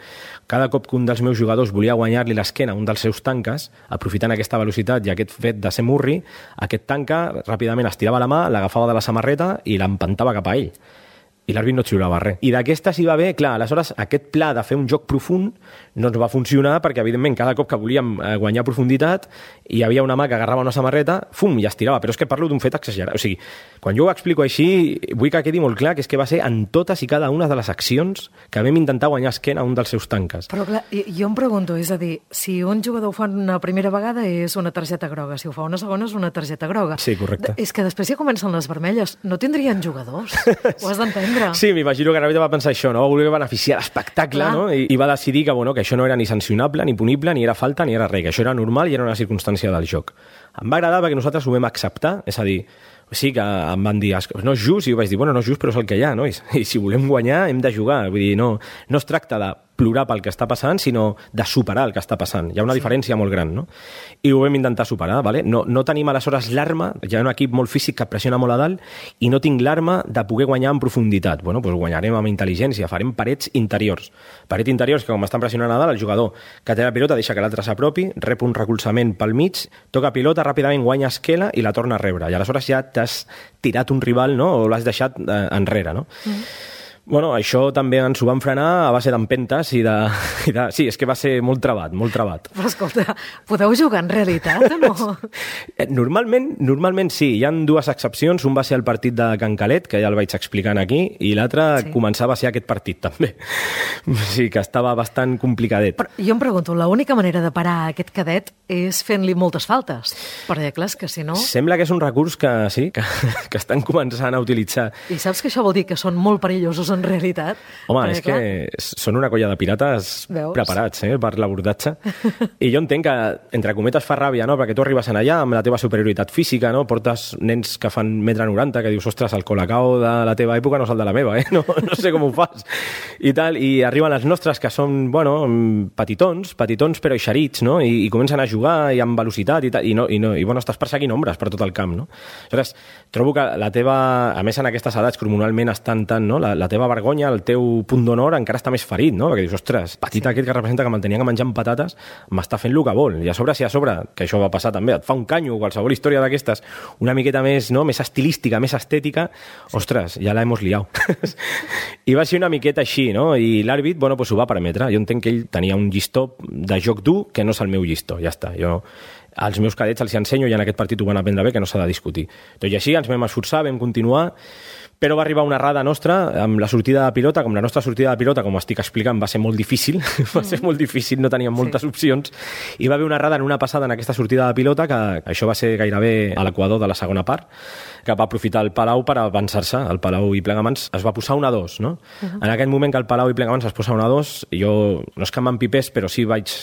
cada cop que un dels meus jugadors volia guanyar-li l'esquena a un dels seus tanques, aprofitant aquesta velocitat i aquest fet de ser murri, aquest tanca ràpidament estirava la mà, l'agafava de la samarreta i l'empantava cap a ell. I l'àrbit no xiulava res. I d'aquesta sí va bé, clar, aleshores aquest pla de fer un joc profund no ens va funcionar perquè, evidentment, cada cop que volíem guanyar profunditat hi havia una mà que agarrava una samarreta, fum, i estirava, però és que parlo d'un fet exagerat. O sigui, quan jo ho explico així, vull que quedi molt clar que és que va ser en totes i cada una de les accions que vam intentar guanyar esquena a un dels seus tanques. Però clar, jo em pregunto, és a dir, si un jugador ho fa una primera vegada és una targeta groga, si ho fa una segona és una targeta groga. Sí, correcte. És que després ja comencen les vermelles. No tindrien jugadors. Ho has d'entendre. Sí, m'imagino que l'àrbitre va pensar això, no? Va voler beneficiar l'espectacle, no? I va decidir que, bueno, que això no era ni sancionable, ni punible, ni era falta, ni era res, que això era normal i era una circumstància del joc. Em va agradar perquè nosaltres ho vam acceptar, és a dir, sí que em van dir, no és just, i jo vaig dir, bueno, no és just, però és el que hi ha, no? I si volem guanyar hem de jugar, vull dir, no es tracta de plorar pel que està passant, sinó de superar el que està passant. Hi ha una diferència molt gran, no? I ho vam intentar superar, ¿vale? No tenim aleshores l'arma, hi ha un equip molt físic que pressiona molt a dalt, i no tinc l'arma de poder guanyar en profunditat. Bueno, doncs guanyarem amb intel·ligència, farem parets interiors. Parets interiors que, com estan pressionant a dalt, el jugador que té la pilota deixa que l'altre s'apropi, rep un recolzament pel mig, toca pilota, ràpidament guanya esquela i la torna a rebre. I aleshores ja t'has tirat un rival, no? O l'has deixat enrere, no? Bueno, això també ens ho van frenar a base d'empentes i de... Sí, és que va ser molt trebat, molt trebat. Però escolta, podeu jugar en realitat o no? Normalment sí, hi ha dues excepcions. Un va ser el partit de Can Calet, que ja el vaig explicant aquí, i l'altre començava a ser aquest partit també. Sí, que estava bastant complicadet. Però jo em pregunto, l'única manera de parar aquest cadet és fent-li moltes faltes, perquè clar, és que si no... Sembla que és un recurs que sí, que estan començant a utilitzar. I saps que això vol dir que són molt perillosos en realitat? Home, és que són una colla de pirates preparats per l'abordatge. I jo entenc que, entre cometes, fa ràbia, no? Perquè tu arribes en allà amb la teva superioritat física, no? Portes nens que fan 1,90 m, que dius, ostres, el Colacao de la teva època no és el de la meva, no sé com ho fas. I tal, i arriben els nostres, que són, bueno, petitons però eixerits, no? I comencen a jugar i amb velocitat i tal, i bueno, estàs perseguint ombres per tot el camp, no? Aleshores, trobo que la teva, a més en aquestes edats que hormonalment estan tant, no? La teva vergonya, el teu punt d'honor encara està més ferit, no? Perquè dius, ostres, petit aquest que representa que me'l tenia que menjar amb patates, m'està fent el que vol. I a sobre, que això va passar també, et fa un canyo, qualsevol història d'aquestes, una miqueta més, no? Més estilística, més estètica, ostres, ja la hemos liado. I va ser una miqueta així, no? I l'àrbit, bueno, pues ho va permetre. Jo entenc que ell tenia un llistó de joc dur que no és el meu llistó, ja està. Jo als meus cadets els ensenyo i en aquest partit ho van aprendre bé, que no s'ha de discutir. Tot i així ens vam esforçar, vam continuar, però va arribar una errada nostra amb la sortida de pilota. Com la nostra sortida de pilota, com estic explicant, va ser molt difícil, no teníem moltes opcions, i va haver una errada en una passada en aquesta sortida de pilota, que això va ser gairebé a l'equador de la segona part, que va aprofitar el Palau per avançar-se. El Palau i Plegamans es va posar 1-2, no? En aquell moment que el Palau i Plegamans es posa 1-2, jo no és que m'empipés, però sí vaig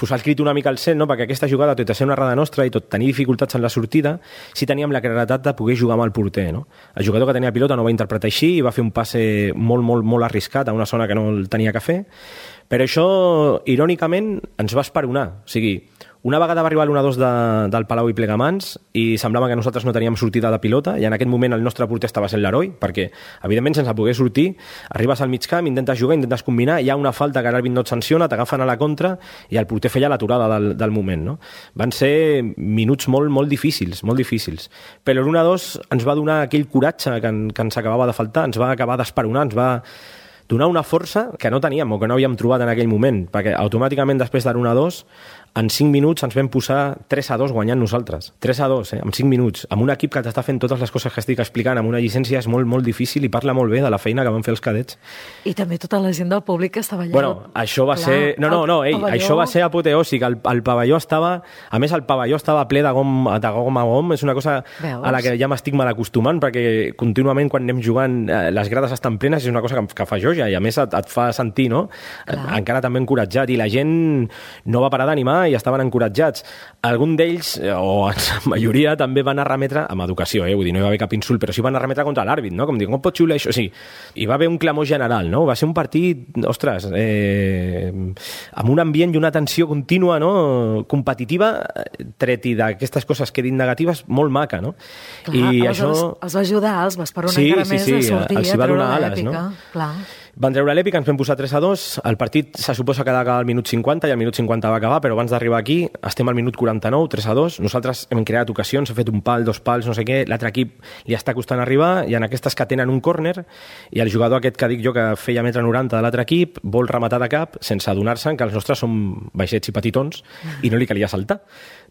posar el crit una mica al cel, no? Perquè aquesta jugada, tot i ser una errada nostra i tot tenir dificultats en la sortida, sí teníem la claretat de poder jugar amb el porter, no? El jugador que tenia pilota no va interpretar així i va fer un passe molt arriscat a una zona que no el tenia que fer, però això, irònicament, ens va esperonar. O sigui, Una vegada va arribar l'1-2 del Palau i Plegamans i semblava que nosaltres no teníem sortida de pilota, i en aquest moment el nostre porter estava sent l'heroi, perquè, evidentment, sense poder sortir, arribes al mig camp, intentes jugar, intentes combinar, hi ha una falta que l'àrbit no et sanciona, t'agafen a la contra i el porter feia l'aturada del moment, no? Van ser minuts molt, molt difícils, molt difícils. Però l'1-2 ens va donar aquell coratge que ens acabava de faltar, ens va acabar d'esperonar, ens va donar una força que no teníem o que no havíem trobat en aquell moment, perquè automàticament després de l'1-2 en 5 minuts ens vam posar 3-2 guanyant nosaltres. 3-2, en 5 minuts. Amb un equip que t'està fent totes les coses que estic explicant, amb una llicència és molt, molt difícil i parla molt bé de la feina que van fer els cadets. I també tota la gent del públic que estava allà. Bueno, això va ser... això va ser apoteòsic. El pavelló estava... A més, el pavelló estava ple de gom a gom. És una cosa a la que ja m'estic mal acostumant, perquè contínuament quan anem jugant les grades estan plenes, és una cosa que fa joia i a més et fa sentir, no? Encara també encoratjat, i la gent no va parar d'animar i estaven encoratjats. Algun d'ells, o la majoria, també van a remetre, amb educació, vull dir, no hi va haver cap insult, però sí van a remetre contra l'àrbit, no? Com dir, com pot xiular això? Sí, hi va haver un clamor general, no? Va ser un partit, ostres, amb un ambient i una tensió contínua, no? Competitiva, tret i d'aquestes coses que he dit negatives, molt maca, no? Clar, i això... els va ajudar, els va esperar encara més a sortir, a treure l'èpica. Clar. Van treure l'èpica, ens vam posar 3-2, el partit se suposa que ha d'acabar al minut 50 i al minut 50 va acabar, però abans d'arribar aquí estem al minut 49, 3-2, nosaltres hem creat ocasions, hem fet un pal, 2 pals, no sé què, l'altre equip li està costant arribar i en aquestes que tenen un córner i el jugador aquest que dic jo que feia 1,90 m de l'altre equip vol rematar de cap sense adonar-se que els nostres som baixets i petitons i no li calia saltar.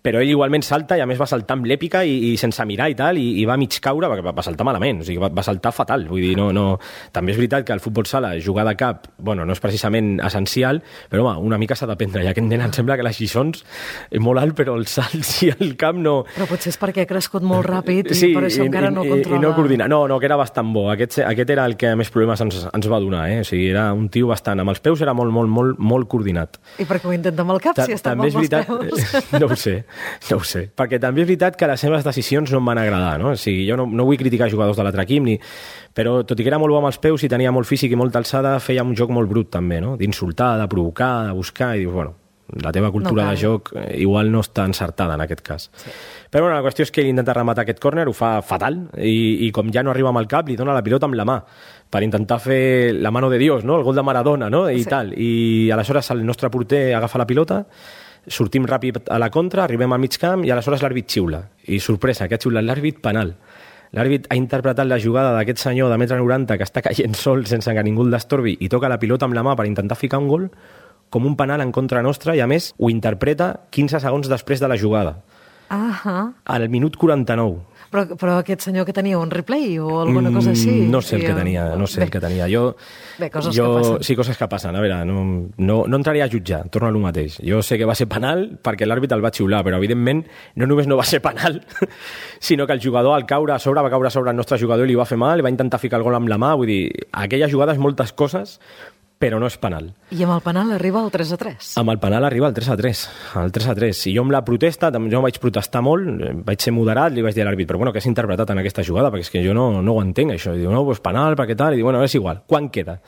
Però ell igualment salta i a més va saltar amb l'èpica i sense mirar i tal, i va mig caure, perquè va saltar malament, o sigui, va saltar fatal, vull dir, no... També és veritat que el futbol sala, jugar de cap, bueno, no és precisament essencial, però home, una mica s'ha d'aprendre, i aquest nen em sembla que les lliçons és molt alt, però els salts i el camp no... Però potser és perquè ha crescut molt ràpid i per això encara no controla... I no coordina, no, que era bastant bo, aquest era el que més problemes ens va donar, o sigui, era un tio bastant, amb els peus era molt coordinat. I per què ho intenta amb el cap, si està amb els peus? No ho sé, perquè també és veritat que les seves decisions no em van agradar, no? O sigui, jo no vull criticar jugadors de l'altre equip, però tot i que era molt bo amb els peus i tenia molt físic i molta alçada, feia un joc molt brut també, no? D'insultar, de provocar, de buscar, i dius, bueno, la teva cultura de joc igual no està encertada en aquest cas. Sí. Però bueno, la qüestió és que ell intenta rematar aquest córner, ho fa fatal, i com ja no arriba amb el cap, li dona la pilota amb la mà, per intentar fer la mano de Dios, no? El gol de Maradona, no? I tal. I aleshores el nostre porter agafa la pilota, sortim ràpid a la contra, arribem al mig camp i aleshores l'àrbit xiula. I sorpresa, que ha xiulat l'àrbit penal. L'àrbit ha interpretat la jugada d'aquest senyor de 1,90 m que està caient sol sense que ningú el destorbi i toca la pilota amb la mà per intentar ficar un gol com un penal en contra nostra i a més ho interpreta 15 segons després de la jugada. Al minut 49. Però aquest senyor que tenia un replay o alguna cosa així? No sé el que tenia, el que tenia. Coses que passen. Sí, coses que passen. A veure, no entraria a jutjar, torno a lo mateix. Jo sé que va ser penal perquè l'àrbit el va xiular, però evidentment no només no va ser penal, sinó que el jugador al caure a sobre va caure a sobre el nostre jugador i li va fer mal, va intentar ficar el gol amb la mà, vull dir, aquella jugada és moltes coses, però no és penal. I amb el penal arriba al 3-3. Amb el penal arriba al 3-3. El 3-3. I jo amb la protesta, jo vaig protestar molt, vaig ser moderat, li vaig dir a l'àrbit, però bueno, què s'ha interpretat en aquesta jugada? Perquè és que jo no ho entenc, això. I diu, no, pues penal, perquè tal. I diu, bueno, és igual. Quan queda?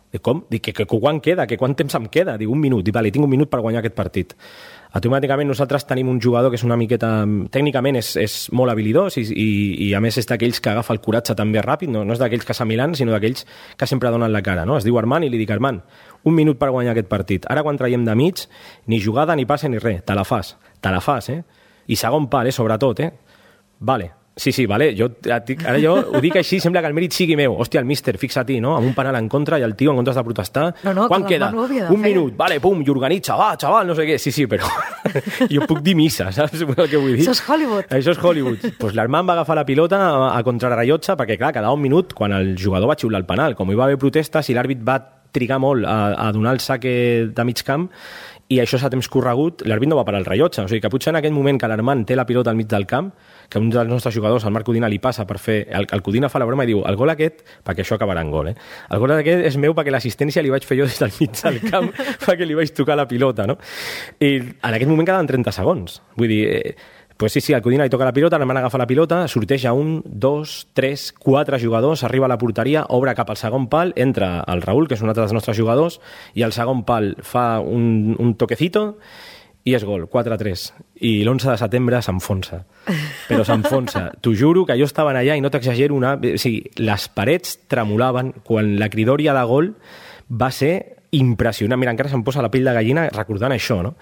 Dic, com? Dic, que quan queda? Que quant temps em queda? Dic, un minut. Dic, vale, tinc un minut per guanyar aquest partit. Automàticament nosaltres tenim un jugador que és una miqueta... Tècnicament és molt habilidós i a més és d'aquells que agafa el coratge també ràpid, no és d'aquells que s'amilant, sinó d'aquells que sempre donen la cara, no? Es diu Armand i li dic, Armand, un minut per guanyar aquest partit. Ara quan traiem de mig, ni jugada, ni passe, ni res. Te la fas, I segon pal, sobretot, Vale. Sí, vale. Ara jo ho dic així, sembla que el mèrit sigui meu. Hòstia, el míster, fixa-t'hi, no? Amb un penal en contra i el tio en comptes de protestar. Quan queda? Un minut. Vale, pum, i organitza, va, xaval, no sé què. Sí, però jo puc dir missa, saps el que vull dir? Això és Hollywood. Això és Hollywood. Pues l'Armand va agafar la pilota a contrarrellotge perquè, clar, quedava un minut quan el jugador va xiular el penal. Com hi va haver protestes i l'àrbit va trigar molt a donar el saque de mig camp, i això s'ha temps corregut, l'àrbit no va parar el rellotge. O sigui que potser en aquell moment que l'Armand té la pilota al mig del camp, que un dels nostres jugadors, el Marc Codina, li passa per fer... El Codina fa la broma i diu, el gol aquest, perquè això acabarà en gol, el gol aquest és meu perquè l'assistència li vaig fer jo des del mig del camp perquè li vaig tocar la pilota, no? I en aquest moment quedaven 30 segons. Vull dir... Pues sí, el Codina li toca la pilota, l'Armand agafa la pilota, sorteja 1, 2, 3, 4 jugadors, arriba a la porteria, obre cap al segon pal, entra el Raül, que és un altre dels nostres jugadors, i al segon pal fa un toquecito i és gol, 4-3. I l'11 de setembre s'enfonsa. Però s'enfonsa. T'ho juro que jo estava allà i no t'exagero o sigui, les parets tremolaven quan la cridòria de gol va ser impressionant. Mira, encara se'm posa la pell de gallina recordant això, no?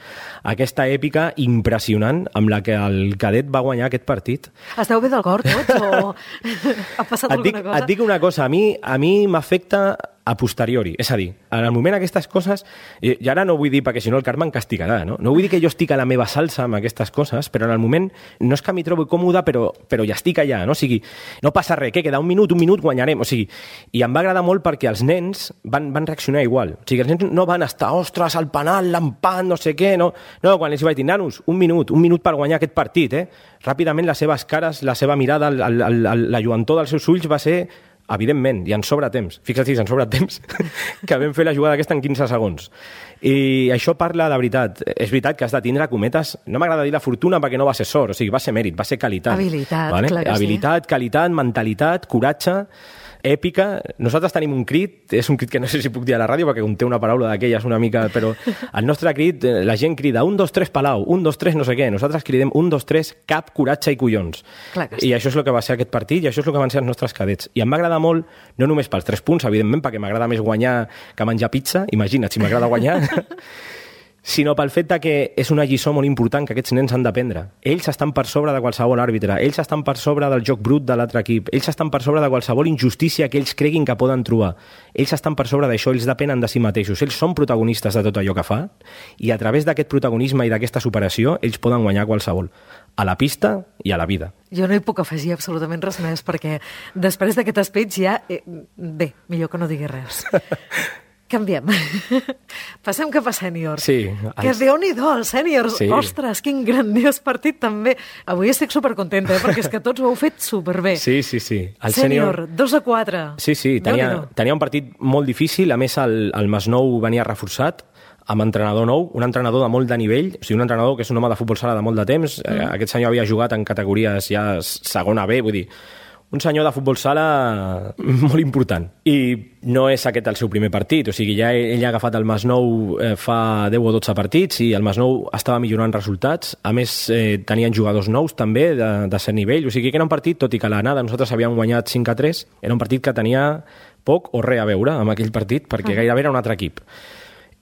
Aquesta èpica impressionant amb la que el cadet va guanyar aquest partit. Esteu bé del cor tots o ha passat alguna cosa? Et dic una cosa, a mi m'afecta a posteriori. És a dir, en el moment aquestes coses, i ara no vull dir perquè si no el Carme em castigarà, no? No vull dir que jo estic a la meva salsa amb aquestes coses, però en el moment no és que m'hi trobo còmode, però ja estic allà, no? O sigui, no passa res, que queda un minut, guanyarem. O sigui, i em va agradar molt perquè els nens van reaccionar igual. O sigui, els nens no van estar, ostres, al penal, l'empat, no sé què, no, quan els vaig dir, nanos, un minut per guanyar aquest partit, Ràpidament les seves cares, la seva mirada, la lluentor dels seus ulls va ser evidentment, i en sobra temps. Fixa't, en sobra temps, que vam fer la jugada aquesta en 15 segons. I això parla de veritat. És veritat que has de tindre cometes, no m'agrada dir la fortuna perquè no va ser sort, o sigui, va ser mèrit, va ser qualitat. Habilitat, vale? Clar que habilitat, qualitat, mentalitat, coratge, èpica. Nosaltres tenim un crit, és un crit que no sé si puc dir a la ràdio perquè conté una paraula d'aquelles una mica, però el nostre crit, la gent crida 1, 2, 3 Palau, 1, 2, 3 no sé què, nosaltres cridem 1, 2, 3 cap, coratge i collons. Sí. I això és el que va ser aquest partit i això és el que van ser els nostres cadets. I em va agradar molt, no només pels 3 punts, evidentment, perquè m'agrada més guanyar que menjar pizza, imagina't si m'agrada guanyar, sinó pel fet que és una lliçó molt important que aquests nens han d'aprendre. Ells estan per sobre de qualsevol àrbitre, ells estan per sobre del joc brut de l'altre equip, ells estan per sobre de qualsevol injustícia que ells creguin que poden trobar. Ells estan per sobre d'això, ells depenen de si mateixos, ells són protagonistes de tot allò que fa i a través d'aquest protagonisme i d'aquesta superació ells poden guanyar qualsevol, a la pista i a la vida. Jo no hi puc afegir absolutament res més perquè després d'aquest speech ja... Bé, millor que no digui res. Canviem. Passem cap a sèniors. Sí. Que Déu-n'hi-do, els sèniors. Sí. Ostres, quin grandiós partit també. Avui estic supercontenta, perquè és que tots ho heu fet superbé. Sí. El sènior, 2-4. Sí, tenia un partit molt difícil. A més, el Masnou venia reforçat amb entrenador nou, un entrenador de molt de nivell, o sigui, un entrenador que és un home de futbol sala de molt de temps. Aquest senyor havia jugat en categories ja segona B, vull dir, un senyor de futbol sala molt important. I no és aquest el seu primer partit, o sigui, ja ell ha agafat el Masnou fa 10 o 12 partits i el Masnou estava millorant resultats. A més, tenien jugadors nous també de cert nivell, o sigui que era un partit, tot i que a l'anada nosaltres havíem guanyat 5-3, era un partit que tenia poc o res a veure amb aquell partit, perquè gairebé era un altre equip.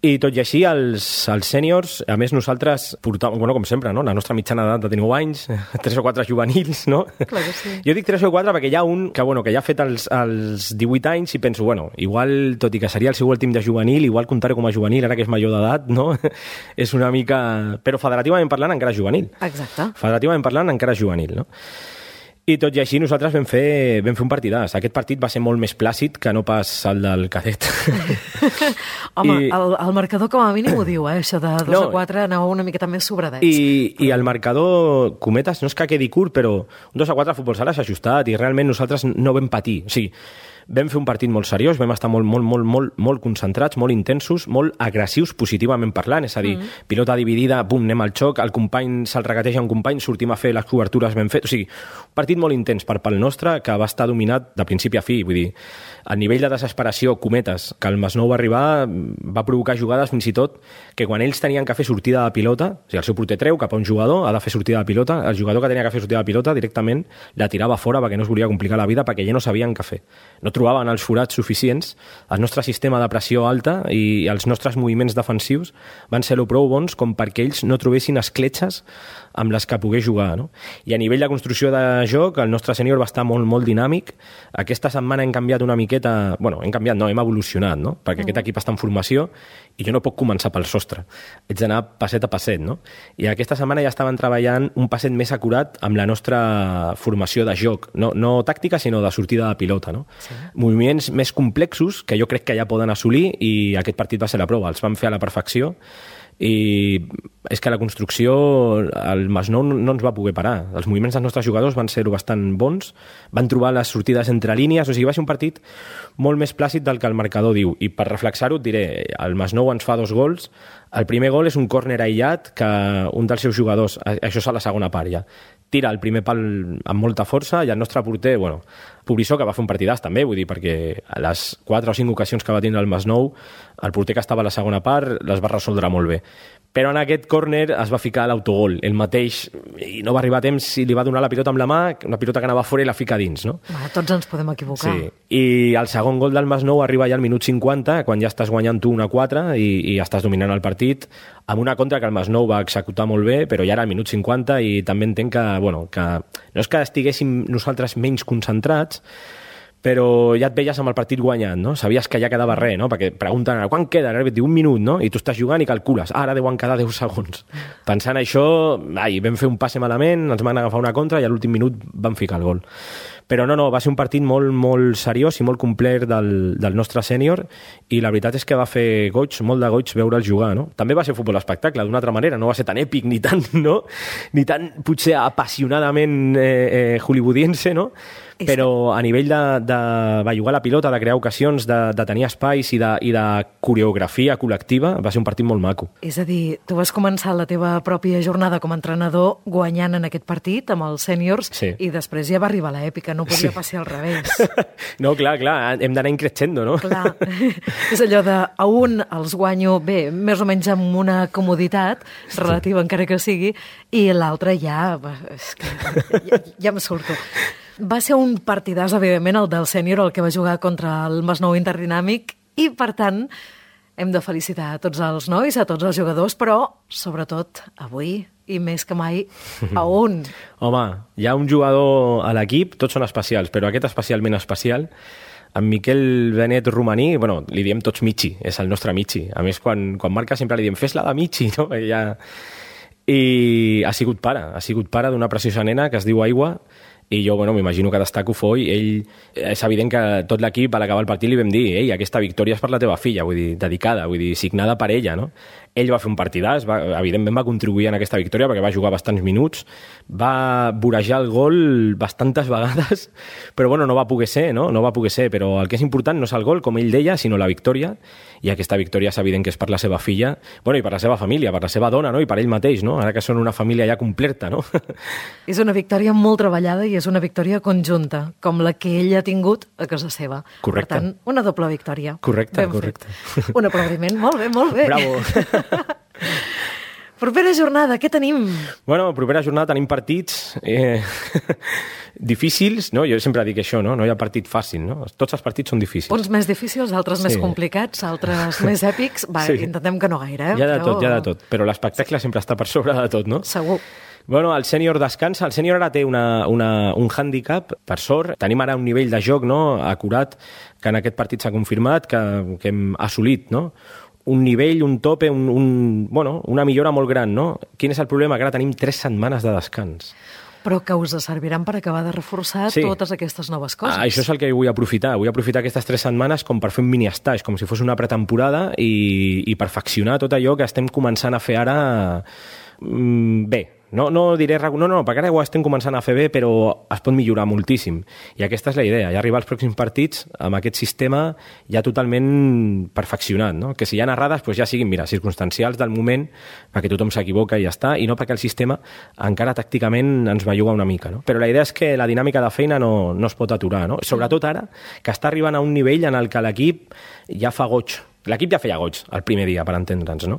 I tot i així, els sèniors, a més nosaltres portàvem, bueno, com sempre, no? La nostra mitjana d'edat de 19 anys, 3 o 4 juvenils, no? Clar que sí. Jo dic 3 o 4 perquè hi ha un que ja ha fet els 18 anys i penso, bueno, igual, tot i que seria el seu últim de juvenil, igual comptar-ho com a juvenil, ara que és major d'edat, no? És una mica... Però federativament parlant encara és juvenil. Exacte. Federativament parlant encara és juvenil, no? I tot i així nosaltres vam fer un partidàs. Aquest partit va ser molt més plàcid que no pas el del cadet. Home, el marcador com a mínim ho diu, això de 2-4 anava una miqueta més sobradets. I el marcador, cometes, no és que quedi curt, però un 2-4 a futbol sala s'ha ajustat i realment nosaltres no vam patir. O sigui, vam fer un partit molt seriós, vam estar molt concentrats, molt intensos, molt agressius positivament parlant, és a dir, pilota dividida, bum, anem al xoc, el company se'l regateja un company, sortim a fer les cobertures ben fet, o sigui, un partit molt intens per pel nostre que va estar dominat de principi a fi, vull dir, a nivell de desesperació, cometes, que el Masnou va arribar, va provocar jugades fins i tot que quan ells tenien que fer sortida de pilota, o sigui, el seu porter treu cap a un jugador, ha de fer sortida de pilota, el jugador que tenia que fer sortida de pilota directament la tirava fora perquè no es volia complicar la vida, perquè ja no sabien què fer. No trobaven els forats suficients, el nostre sistema de pressió alta i els nostres moviments defensius van ser prou bons com perquè ells no trobessin escletxes amb les que pogués jugar, no? I a nivell de construcció de joc, el nostre sènior va estar molt dinàmic. Aquesta setmana hem canviat una miqueta... Bueno, hem evolucionat, no? Perquè aquest equip està en formació i jo no puc començar pel sostre. Haig d'anar passet a passet, no? I aquesta setmana ja estaven treballant un passet més acurat amb la nostra formació de joc. No tàctica, sinó de sortida de pilota, no? Sí. Moviments més complexos que jo crec que ja poden assolir i aquest partit va ser la prova. Els vam fer a la perfecció i és que la construcció el Masnou no ens va poder parar. Els moviments dels nostres jugadors van ser bastant bons, van trobar les sortides entre línies, o sigui, va ser un partit molt més plàcid del que el marcador diu, i per reflexar-ho et diré, el Masnou ens fa 2 gols, el primer gol és un córner aïllat que un dels seus jugadors, això és a la segona part ja, tira el primer pal amb molta força i el nostre porter, bueno, Pobrissó, que va fer un partidàs també, vull dir, perquè a les 4 o 5 ocasions que va tindre el Masnou, el porter que estava a la segona part les va resoldre molt bé. Però en aquest córner es va ficar l'autogol, el mateix, i no va arribar a temps i li va donar la pilota amb la mà, una pilota que anava fora i la fica dins, no? Tots ens podem equivocar. Sí, i el segon gol del Masnou arriba ja al minut 50, quan ja estàs guanyant tu 1-4 i estàs dominant el partit, amb una contra que el Masnou va executar molt bé, però ja era al minut 50 i també entenc que, bueno, que no és que estiguéssim nosaltres menys concentrats, però ja et veies amb el partit guanyant, no? Sabies que ja quedava res, no? Perquè pregunten, quan queda? Ara et diu 1 minut, no? I tu estàs jugant i calcules, ara deuen quedar 10 segons. Pensant això, vam fer un passe malament, ens van agafar una contra i a l'últim minut van ficar el gol. Però no, va ser un partit molt, molt seriós i molt complet del nostre sènior i la veritat és que va fer goig, molt de goig veure'l jugar, no? També va ser futbol espectacle, d'una altra manera, no va ser tan èpic ni tan, no? Ni tan, potser, apassionadament hollywoodiense, no? Però a nivell de bellugar la pilota, de crear ocasions, de tenir espais i de coreografia col·lectiva, va ser un partit molt maco. És a dir, tu vas començar la teva pròpia jornada com a entrenador guanyant en aquest partit amb els sèniors i després ja va arribar l'èpica, no podia passar al revés. No, clar, hem d'anar increixendo, no? Clar, és allò de a un els guanyo bé, més o menys amb una comoditat relativa encara que sigui, i l'altre ja em surto. Va ser un partidàs, evidentment, el del sènior, el que va jugar contra el Masnou Interdinàmic, i, per tant, hem de felicitar a tots els nois, a tots els jugadors, però, sobretot, avui, i més que mai, a un. Home, hi ha un jugador a l'equip, tots són especials, però aquest especialment especial, en Miquel Benet Romaní, bueno, li diem tots Michi, és el nostre Michi. A més, quan marca sempre li diem, fes-la de Michi, no? I ha sigut pare d'una preciosa nena que es diu Aigua, i jo, bueno, m'imagino que destaco Foi. Ell, és evident que tot l'equip, a l'acabar el partit, li vam dir, ei, aquesta victòria és per la teva filla, vull dir, dedicada, vull dir, signada per ella, no? Ell va fer un partidàs, evidentment va contribuir en aquesta victòria perquè va jugar bastants minuts, va vorejar el gol bastantes vegades, però bueno, no va poder ser, no? No va poder ser, però el que és important no és el gol, com ell deia, sinó la victòria, i aquesta victòria és evident que és per la seva filla, bueno, i per la seva família, per la seva dona, no? I per ell mateix, no? Ara que són una família ja completa, no? És una victòria molt treballada i és una victòria conjunta, com la que ell ha tingut a casa seva. Correcte. Per tant, una doble victòria. Correcte. Un aplaudiment, molt bé. Bravo. Propera jornada, què tenim? Bueno, propera jornada tenim partits difícils, no? Jo sempre dic això, no? No hi ha partit fàcil, no? Tots els partits són difícils. Uns més difícils, altres més complicats, altres més èpics. Va, intentem que no gaire, Hi ha de tot, però l'espectacle sempre està per sobre de tot, no? Segur. Bueno, el sènior descansa. El sènior ara té un hàndicap, per sort. Tenim ara un nivell de joc, no?, acurat, que en aquest partit s'ha confirmat, que hem assolit, no?, un nivell, un tope, una millora molt gran, no? Quin és el problema? Que ara tenim 3 setmanes de descans. Però que us serviran per acabar de reforçar totes aquestes noves coses. Això és el que vull aprofitar. Vull aprofitar aquestes 3 setmanes com per fer un mini-estage, com si fos una pretemporada i perfeccionar tot allò que estem començant a fer ara bé. No diré... No, perquè ara ho estem començant a fer bé, però es pot millorar moltíssim. I aquesta és la idea, ja arribar als pròxims partits amb aquest sistema ja totalment perfeccionat, no? Que si hi ha errades, doncs ja siguin, mira, circumstancials del moment, perquè tothom s'equivoca i ja està, i no perquè el sistema encara tàcticament ens belluga una mica, no? Però la idea és que la dinàmica de feina no es pot aturar, no? Sobretot ara, que està arribant a un nivell en el que l'equip ja fa goig. L'equip ja feia goig el primer dia, per entendre'ns, no?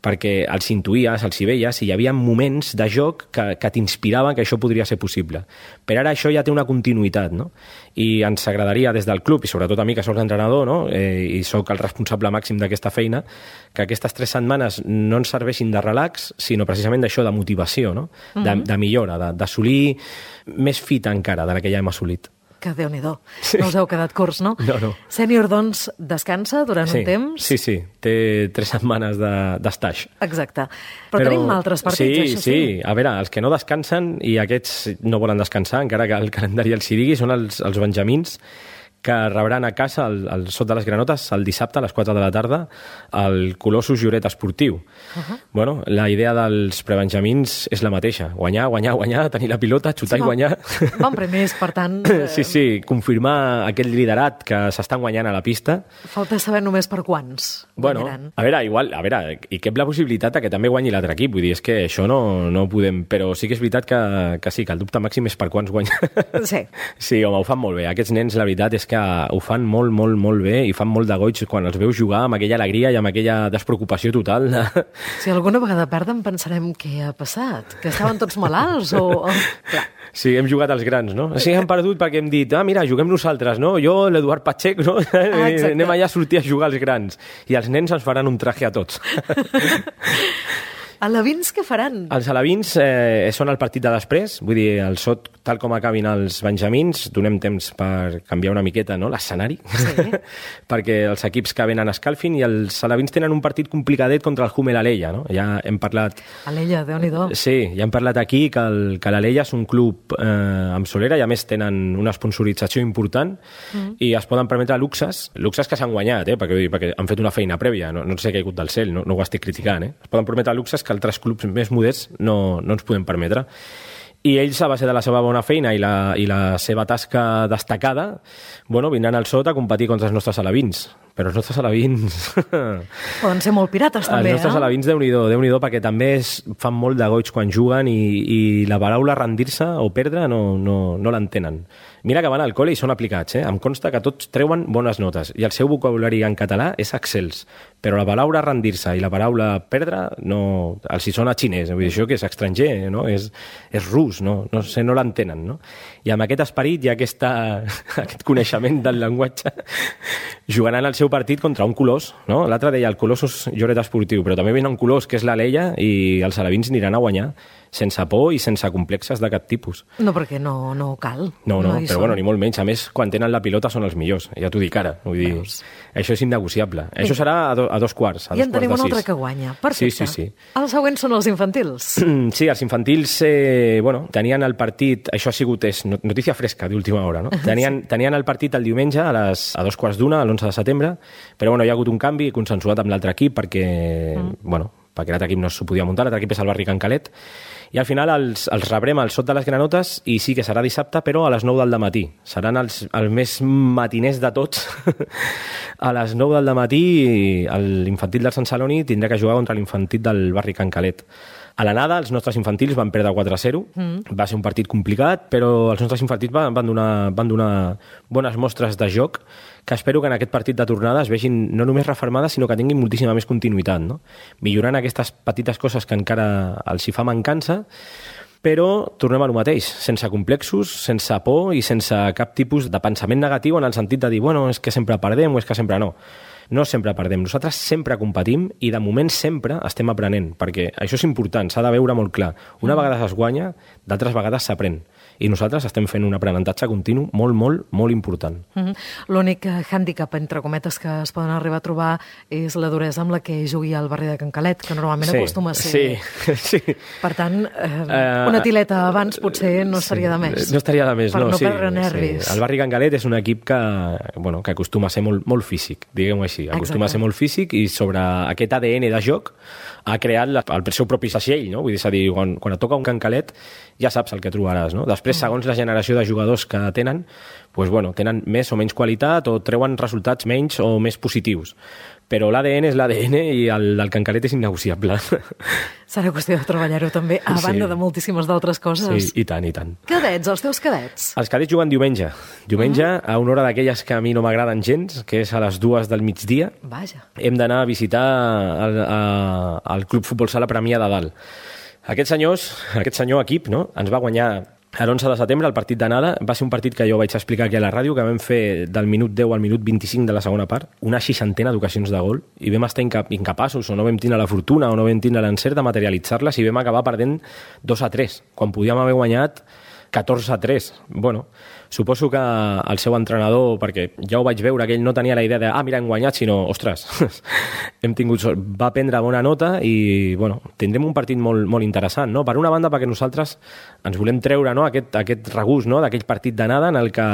Perquè els intuïes, els hi veies, i hi havia moments de joc que t'inspiraven que això podria ser possible. Però ara això ja té una continuïtat, no? I ens agradaria des del club, i sobretot a mi que soc l'entrenador, no?, i sóc el responsable màxim d'aquesta feina, que aquestes 3 setmanes no ens serveixin de relax, sinó precisament d'això, de motivació, no? De millora, d'assolir més fita encara de la que ja hem assolit. Que Déu-n'hi-do. No us heu quedat curts, no? No. Sènior, doncs, descansa durant un temps? Sí. Té 3 setmanes d'estage. Exacte. Però tenim altres partits, això sí. Sí. A veure, els que no descansen, i aquests no volen descansar, encara que el calendari els hi digui, són els benjamins, que rebran a casa al Sot de les Granotes el dissabte a les 4 de la tarda el Colossus Lloret Esportiu. Bueno, la idea dels prebenjamins és la mateixa. Guanyar, tenir la pilota, xutar i guanyar. Van primers, per tant... Sí, confirmar aquest liderat que s'estan guanyant a la pista. Falta saber només per quants guanyaran. A veure, hi cap la possibilitat que també guanyi l'altre equip. Vull dir, és que això no podem... Però sí que és veritat que sí, que el dubte màxim és per quants guanya. Sí. Sí, home, ho fan molt bé. Aquests nens, la veritat és que ho fan molt, molt, molt bé i fan molt de goig quan els veus jugar amb aquella alegria i amb aquella despreocupació total. Si alguna vegada perden pensarem què ha passat, que estaven tots malalts o... Clar. Sí, hem jugat als grans, no? Sí, hem perdut perquè hem dit, mira, juguem nosaltres, no? Jo, l'Eduard Pacheco, no? Anem allà a sortir a jugar als grans. I els nens ens faran un traje a tots. Alevins què faran? Els alevins són el partit de després, vull dir, el Sot, tal com acabin els benjamins, donem temps per canviar una miqueta, no?, l'escenari, sí. Perquè els equips que venen escalfin, i els alevins tenen un partit complicadet contra el Hummel Alella, no? Ja hem parlat... Alella, Déu-n'hi-do. Sí, ja hem parlat aquí que l'Alella és un club amb solera i a més tenen una sponsorització important i es poden permetre luxes que s'han guanyat, perquè han fet una feina prèvia, no s'ha caigut del cel, no ho estic criticant, Es poden permetre luxes que altres clubs més modests no ens podem permetre. I ells, a base de la seva bona feina i la seva tasca destacada, vindran al Sot a competir contra els nostres alevins. Però els nostres alevins... Poden ser molt pirates, també, Els nostres alevins, Déu-n'hi-do, perquè també fan molt de goig quan juguen i la paraula rendir-se o perdre no l'entenen. Mira que van al col·le i són aplicats, Em consta que tots treuen bones notes i el seu vocabulari en català és excels, però la paraula rendir-se i la paraula perdre no... Els hi sona xinès, vull dir, això que és estranger, no? És rus, no sé, no l'entenen, no? I amb aquest esperit i aquest coneixement del llenguatge jugaran el seu partit contra un colós, no? L'altre deia el Colossus Lloret Esportiu, però també venen un colós que és l'Alella i els alevins aniran a guanyar sense por i sense complexes de cap tipus. No, perquè no cal. No, però ni molt menys. A més, quan tenen la pilota són els millors, ja t'ho dic ara. Vull dir, això és innegociable. Això serà a 2:15. I en tenim un altre que guanya. Perfecte. Sí. Els següents són els infantils. Sí, els infantils, tenien el partit, això ha sigut notícia fresca d'última hora, no? Tenien el partit el diumenge a 2:15, l'11 de setembre, però hi ha hagut un canvi consensuat amb l'altre equip perquè l'altre equip no s'ho podia muntar, l'altre equip és el Barri Can Calet, i al final els rebrem al Sot de les Granotes i sí que serà dissabte, però a les 9 del matí. Seran els més matiners de tots. A les 9 del matí l'infantil del Sant Celoni tindrà que jugar contra l'infantil del Barri Can Calet. A l'anada, els nostres infantils van perdre 4-0. Va ser un partit complicat, però els nostres infantils van donar bones mostres de joc, que espero que en aquest partit de tornada es vegin no només reformades, sinó que tinguin moltíssima més continuïtat, no? Millorant aquestes petites coses que encara els hi fa mancança, però tornem a lo mateix, sense complexos, sense por i sense cap tipus de pensament negatiu en el sentit de dir, és que sempre perdem o és que sempre no. No sempre perdem, nosaltres sempre competim i de moment sempre estem aprenent, perquè això és important, s'ha de veure molt clar. Una vegada es guanya, d'altres vegades s'aprèn. I nosaltres estem fent un aprenentatge continu molt, molt, molt important. L'únic hàndicap, entre cometes, que es poden arribar a trobar és la duresa amb la que jugui al barri de Can Calet, que normalment acostuma a ser... Sí. Per tant, una tileta abans potser no estaria de més. No estaria de més, per no perdre nervis. Sí. El barri Can Calet és un equip que acostuma a ser molt, molt físic, diguem-ho així. Acostuma a ser molt físic i sobre aquest ADN de joc ha creat el seu propi vaixell, no? Vull dir, és a dir, quan et toca un Can Calet ja saps el que trobaràs, no? Després, segons la generació de jugadors que tenen, tenen més o menys qualitat o treuen resultats menys o més positius. Però l'ADN és l'ADN i el del Can Calet és innegociable. Serà qüestió de treballar-ho també, a banda de moltíssimes d'altres coses. Sí, i tant. Cadets, els teus cadets? Els cadets juguen diumenge. A una hora d'aquelles que a mi no m'agraden gens, que és a les 2 del migdia. Vaja. Hem d'anar a visitar el Club Futbol Sala Premià de Dalt. Aquest senyor equip, no?, ens va guanyar l'11 de setembre, el partit d'anada. Va ser un partit que jo vaig explicar aquí a la ràdio, que vam fer del minut 10 al minut 25 de la segona part, una 60ena d'ocasions de gol, i vam estar incapaços, o no vam tindre la fortuna, o no vam tindre l'encert de materialitzar-les, i vam acabar perdent 2-3, quan podíem haver guanyat 14-3. Suposo que el seu entrenador, perquè ja ho vaig veure, que ell no tenia la idea de mira, hem guanyat, sinó, ostres, hem tingut sort. Va prendre bona nota i, tindrem un partit molt, molt interessant, no? Per una banda, perquè nosaltres ens volem treure, no, aquest regust, no, d'aquell partit d'anada en el que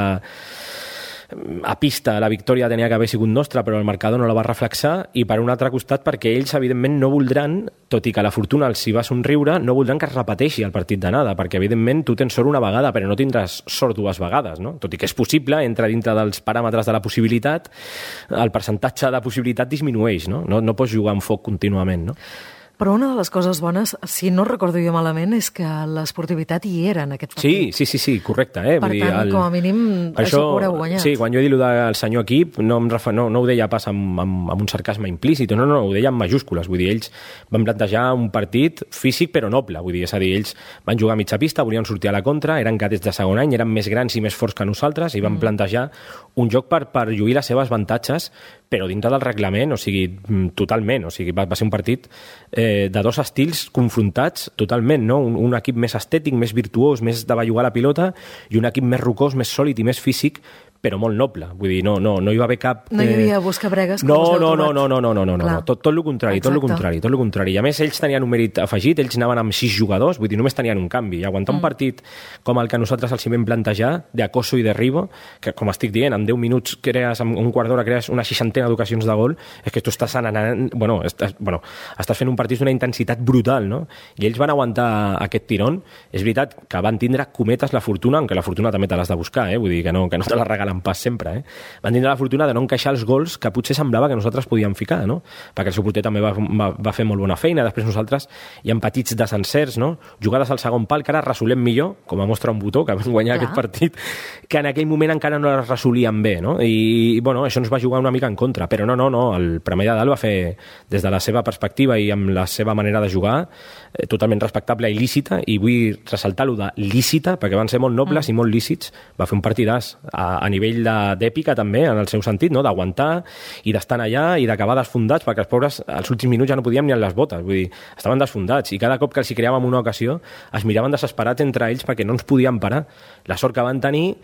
a pista la victòria tenia que haver sigut nostra, però el marcador no la va reflexar, i per un altre costat perquè ells, evidentment, no voldran, tot i que la fortuna els hi va somriure, no voldran que es repeteixi el partit d'anada, perquè, evidentment, tu tens sort una vegada, però no tindràs sort dues vegades, no? Tot i que és possible, entra dintre dels paràmetres de la possibilitat, el percentatge de possibilitat disminueix, no? No pots jugar amb foc contínuament, no? Però una de les coses bones, si no recordo jo malament, és que l'esportivitat hi era en aquest partit. Sí, correcte. Per tant, com a mínim, això ho haureu guanyat. Sí, quan jo he dit del senyor equip, no ho deia pas amb un sarcasme implícit, no, ho deia amb majúscules. Vull dir, ells van plantejar un partit físic però noble. Vull dir, és a dir, ells van jugar a mitja pista, volien sortir a la contra, eren cadets de segon any, eren més grans i més forts que nosaltres, i van plantejar un joc per lluir les seves avantatges, però dintre del reglament, o sigui, totalment. O sigui, va ser un partit de dos estils confrontats totalment, no? Un equip més estètic, més virtuós, més de bellugar la pilota, i un equip més rocós, més sòlid i més físic, però molt noble. Vull dir, no hi va haver cap... No hi havia buscabregues com us heu trobat. No. Tot el contrari, tot el contrari. I a més, ells tenien un mèrit afegit, ells anaven amb 6 jugadors, vull dir, només tenien un canvi. I aguantar un partit com el que nosaltres els hi vam plantejar, d'Acoso i de Ribo, que, com estic dient, en 10 minuts crees, en un quart d'hora crees una 60 d'ocasions de gol, és que tu estàs anant... estàs fent un partit d'una intensitat brutal, no? I ells van aguantar aquest tirón. És veritat que van tindre cometes la fortuna, aunque la fortuna també te l'has de buscar, vull dir, que no te la regalen pas sempre, Van tindre la fortuna de no encaixar els gols que potser semblava que nosaltres podíem ficar, no? Perquè el seu porter també va fer molt bona feina, després nosaltres hi ha petits desencerts, no? Jugades al segon pal, que ara resolem millor, com a mostra un botó, que vam guanyar aquest partit, que en aquell moment encara no les resolíem bé, no? I bueno, això ens va jugar una mica en contra, però no, el Premià de Dalt va fer, des de la seva perspectiva i amb la seva manera de jugar, totalment respectable i lícita, i vull ressaltar-lo de lícita, perquè van ser molt nobles i molt lícits, va fer un partidàs a nivell d'èpica també, en el seu sentit, no? D'aguantar i d'estar allà i d'acabar desfondats, perquè els pobres als últims minuts ja no podíem ni en les botes, vull dir, estaven desfondats, i cada cop que els hi creàvem una ocasió es miraven desesperats entre ells perquè no ens podien parar. La sort que van tenir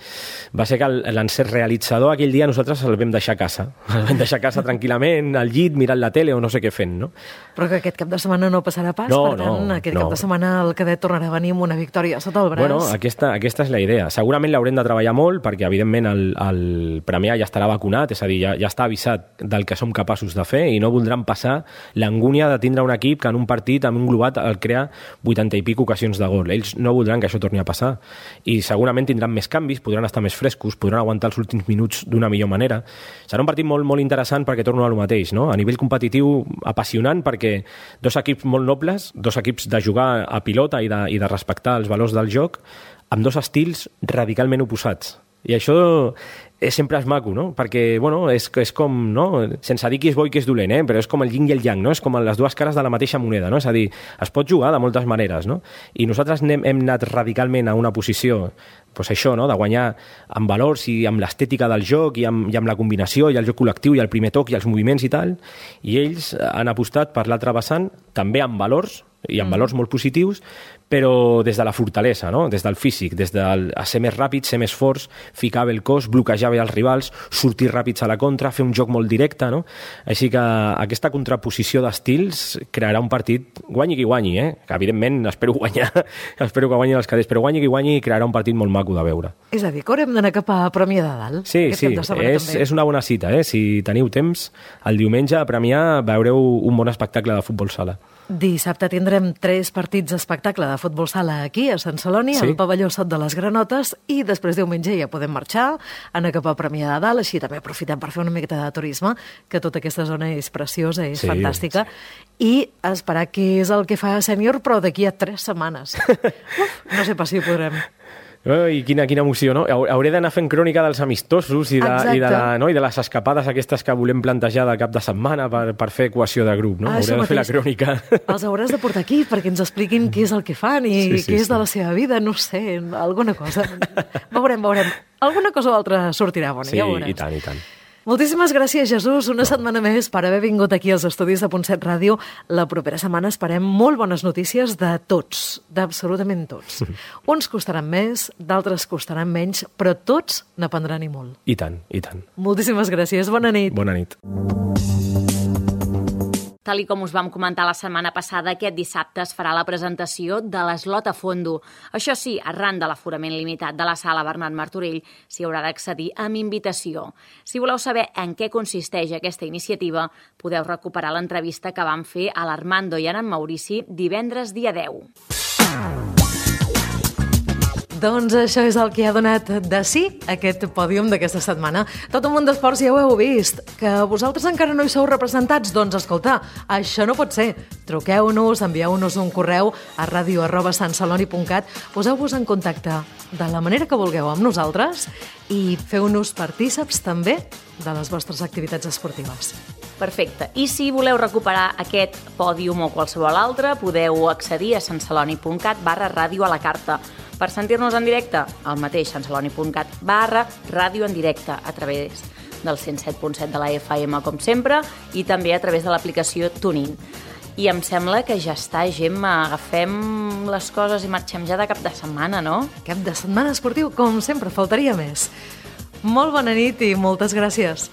va ser que l'encert realitzador aquell dia nosaltres el vam deixar a casa. El vam deixar a casa tranquil·lament, al llit, mirant la tele o no sé què fent, no? Però que aquest cap de setmana no passarà pas, per tant, aquest cap de setmana el cadet tornarà a venir amb una victòria sota el braç. Bueno, aquesta és la idea. Segurament l'haurem de treballar molt, perquè evidentment el Premià ja estarà vacunat, és a dir, ja està avisat del que som capaços de fer, i no voldran passar l'angúnia de tindre un equip que en un partit, en un globat, el crea 80 i pico ocasions de gol. Ells no voldran que això torni a passar, i segurament tindran més canvis, podran estar més frescos, podran aguantar els últims minuts d'una millor manera. Serà un partit molt, molt interessant, perquè torno a lo mateix, no? A nivell competitiu, apassionant, perquè dos equips molt nobles, dos equips de jugar a pilota i de respectar els valors del joc, amb dos estils radicalment oposats. I això sempre és maco, no? Perquè, bueno, és com, no? Sense dir qui és bo i qui és dolent, però és com el yin i el yang, no? És com les dues cares de la mateixa moneda, no? És a dir, es pot jugar de moltes maneres, no? I nosaltres hem anat radicalment a una posició, doncs això, no? De guanyar amb valors i amb l'estètica del joc i amb la combinació i el joc col·lectiu i el primer toc i els moviments i tal, i ells han apostat per l'altre vessant, també amb valors, i amb valors molt positius, però des de la fortalesa, no? Des del físic, des de ser més ràpids, ser més forts, ficar bé el cos, bloquejar bé els rivals, sortir ràpids a la contra, fer un joc molt directe, no? Així que aquesta contraposició d'estils crearà un partit, guanyi qui guanyi, que evidentment espero que guanyin els cadets, però guanyi qui guanyi crearà un partit molt maco de veure. És a dir, que haurem d'anar cap a Premià de Dalt? Sí, és una bona cita, Si teniu temps, el diumenge a Premià veureu un bon espectacle de futbol sala. Dissabte tindrem 3 partits d'espectacle de futbol sala aquí, a Sant Celoni, al pavelló Sot de les Granotes, i després diumenge ja podem marxar, anar cap a Premià de Dalt, així també aprofitem per fer una miqueta de turisme, que tota aquesta zona és preciosa, és fantàstica, i esperar què és el que fa Sènior, però d'aquí a 3 setmanes. No sé pas si ho podrem. I quina emoció, no? Hauré d'anar fent crònica dels amistosos i de les escapades aquestes que volem plantejar de cap de setmana per fer equació de grup, no? Hauré de fer la crònica. Els hauràs de portar aquí perquè ens expliquin què és el que fan i què és de la seva vida, no sé, alguna cosa. Veurem. Alguna cosa o altra sortirà bona, ja ho veuràs. Sí, i tant. Moltíssimes gràcies, Jesús, una setmana més per haver vingut aquí als estudis de Punt7 Ràdio. La propera setmana esperem molt bones notícies de tots, d'absolutament tots. Uns costaran més, d'altres costaran menys, però tots n'aprendran i molt. I tant. Moltíssimes gràcies, bona nit. Bona nit. Tal i com us vam comentar la setmana passada, aquest dissabte es farà la presentació de l'Eslot a Fondo. Això sí, arran de l'aforament limitat de la sala Bernat Martorell, s'hi haurà d'accedir amb invitació. Si voleu saber en què consisteix aquesta iniciativa, podeu recuperar l'entrevista que vam fer a l'Armando i a en Maurici divendres dia 10. Doncs això és el que ha donat de sí aquest pòdium d'aquesta setmana. Tot un munt d'esports ja ho heu vist. Que vosaltres encara no hi sou representats? Doncs escolta, això no pot ser. Truqueu-nos, envieu-nos un correu a radio@santceloni.cat, poseu-vos en contacte de la manera que vulgueu amb nosaltres i feu-nos partíceps també de les vostres activitats esportives. Perfecte. I si voleu recuperar aquest pòdium o qualsevol altre, podeu accedir a santceloni.cat/ràdio a la carta. Per sentir-nos en directe, al mateix santceloni.cat/ràdio en directe a través del 107.7 de la FM, com sempre, i també a través de l'aplicació TuneIn. I em sembla que ja està, Gemma. Agafem les coses i marxem ja de cap de setmana, no? Cap de setmana esportiu, com sempre, faltaria més. Molt bona nit i moltes gràcies.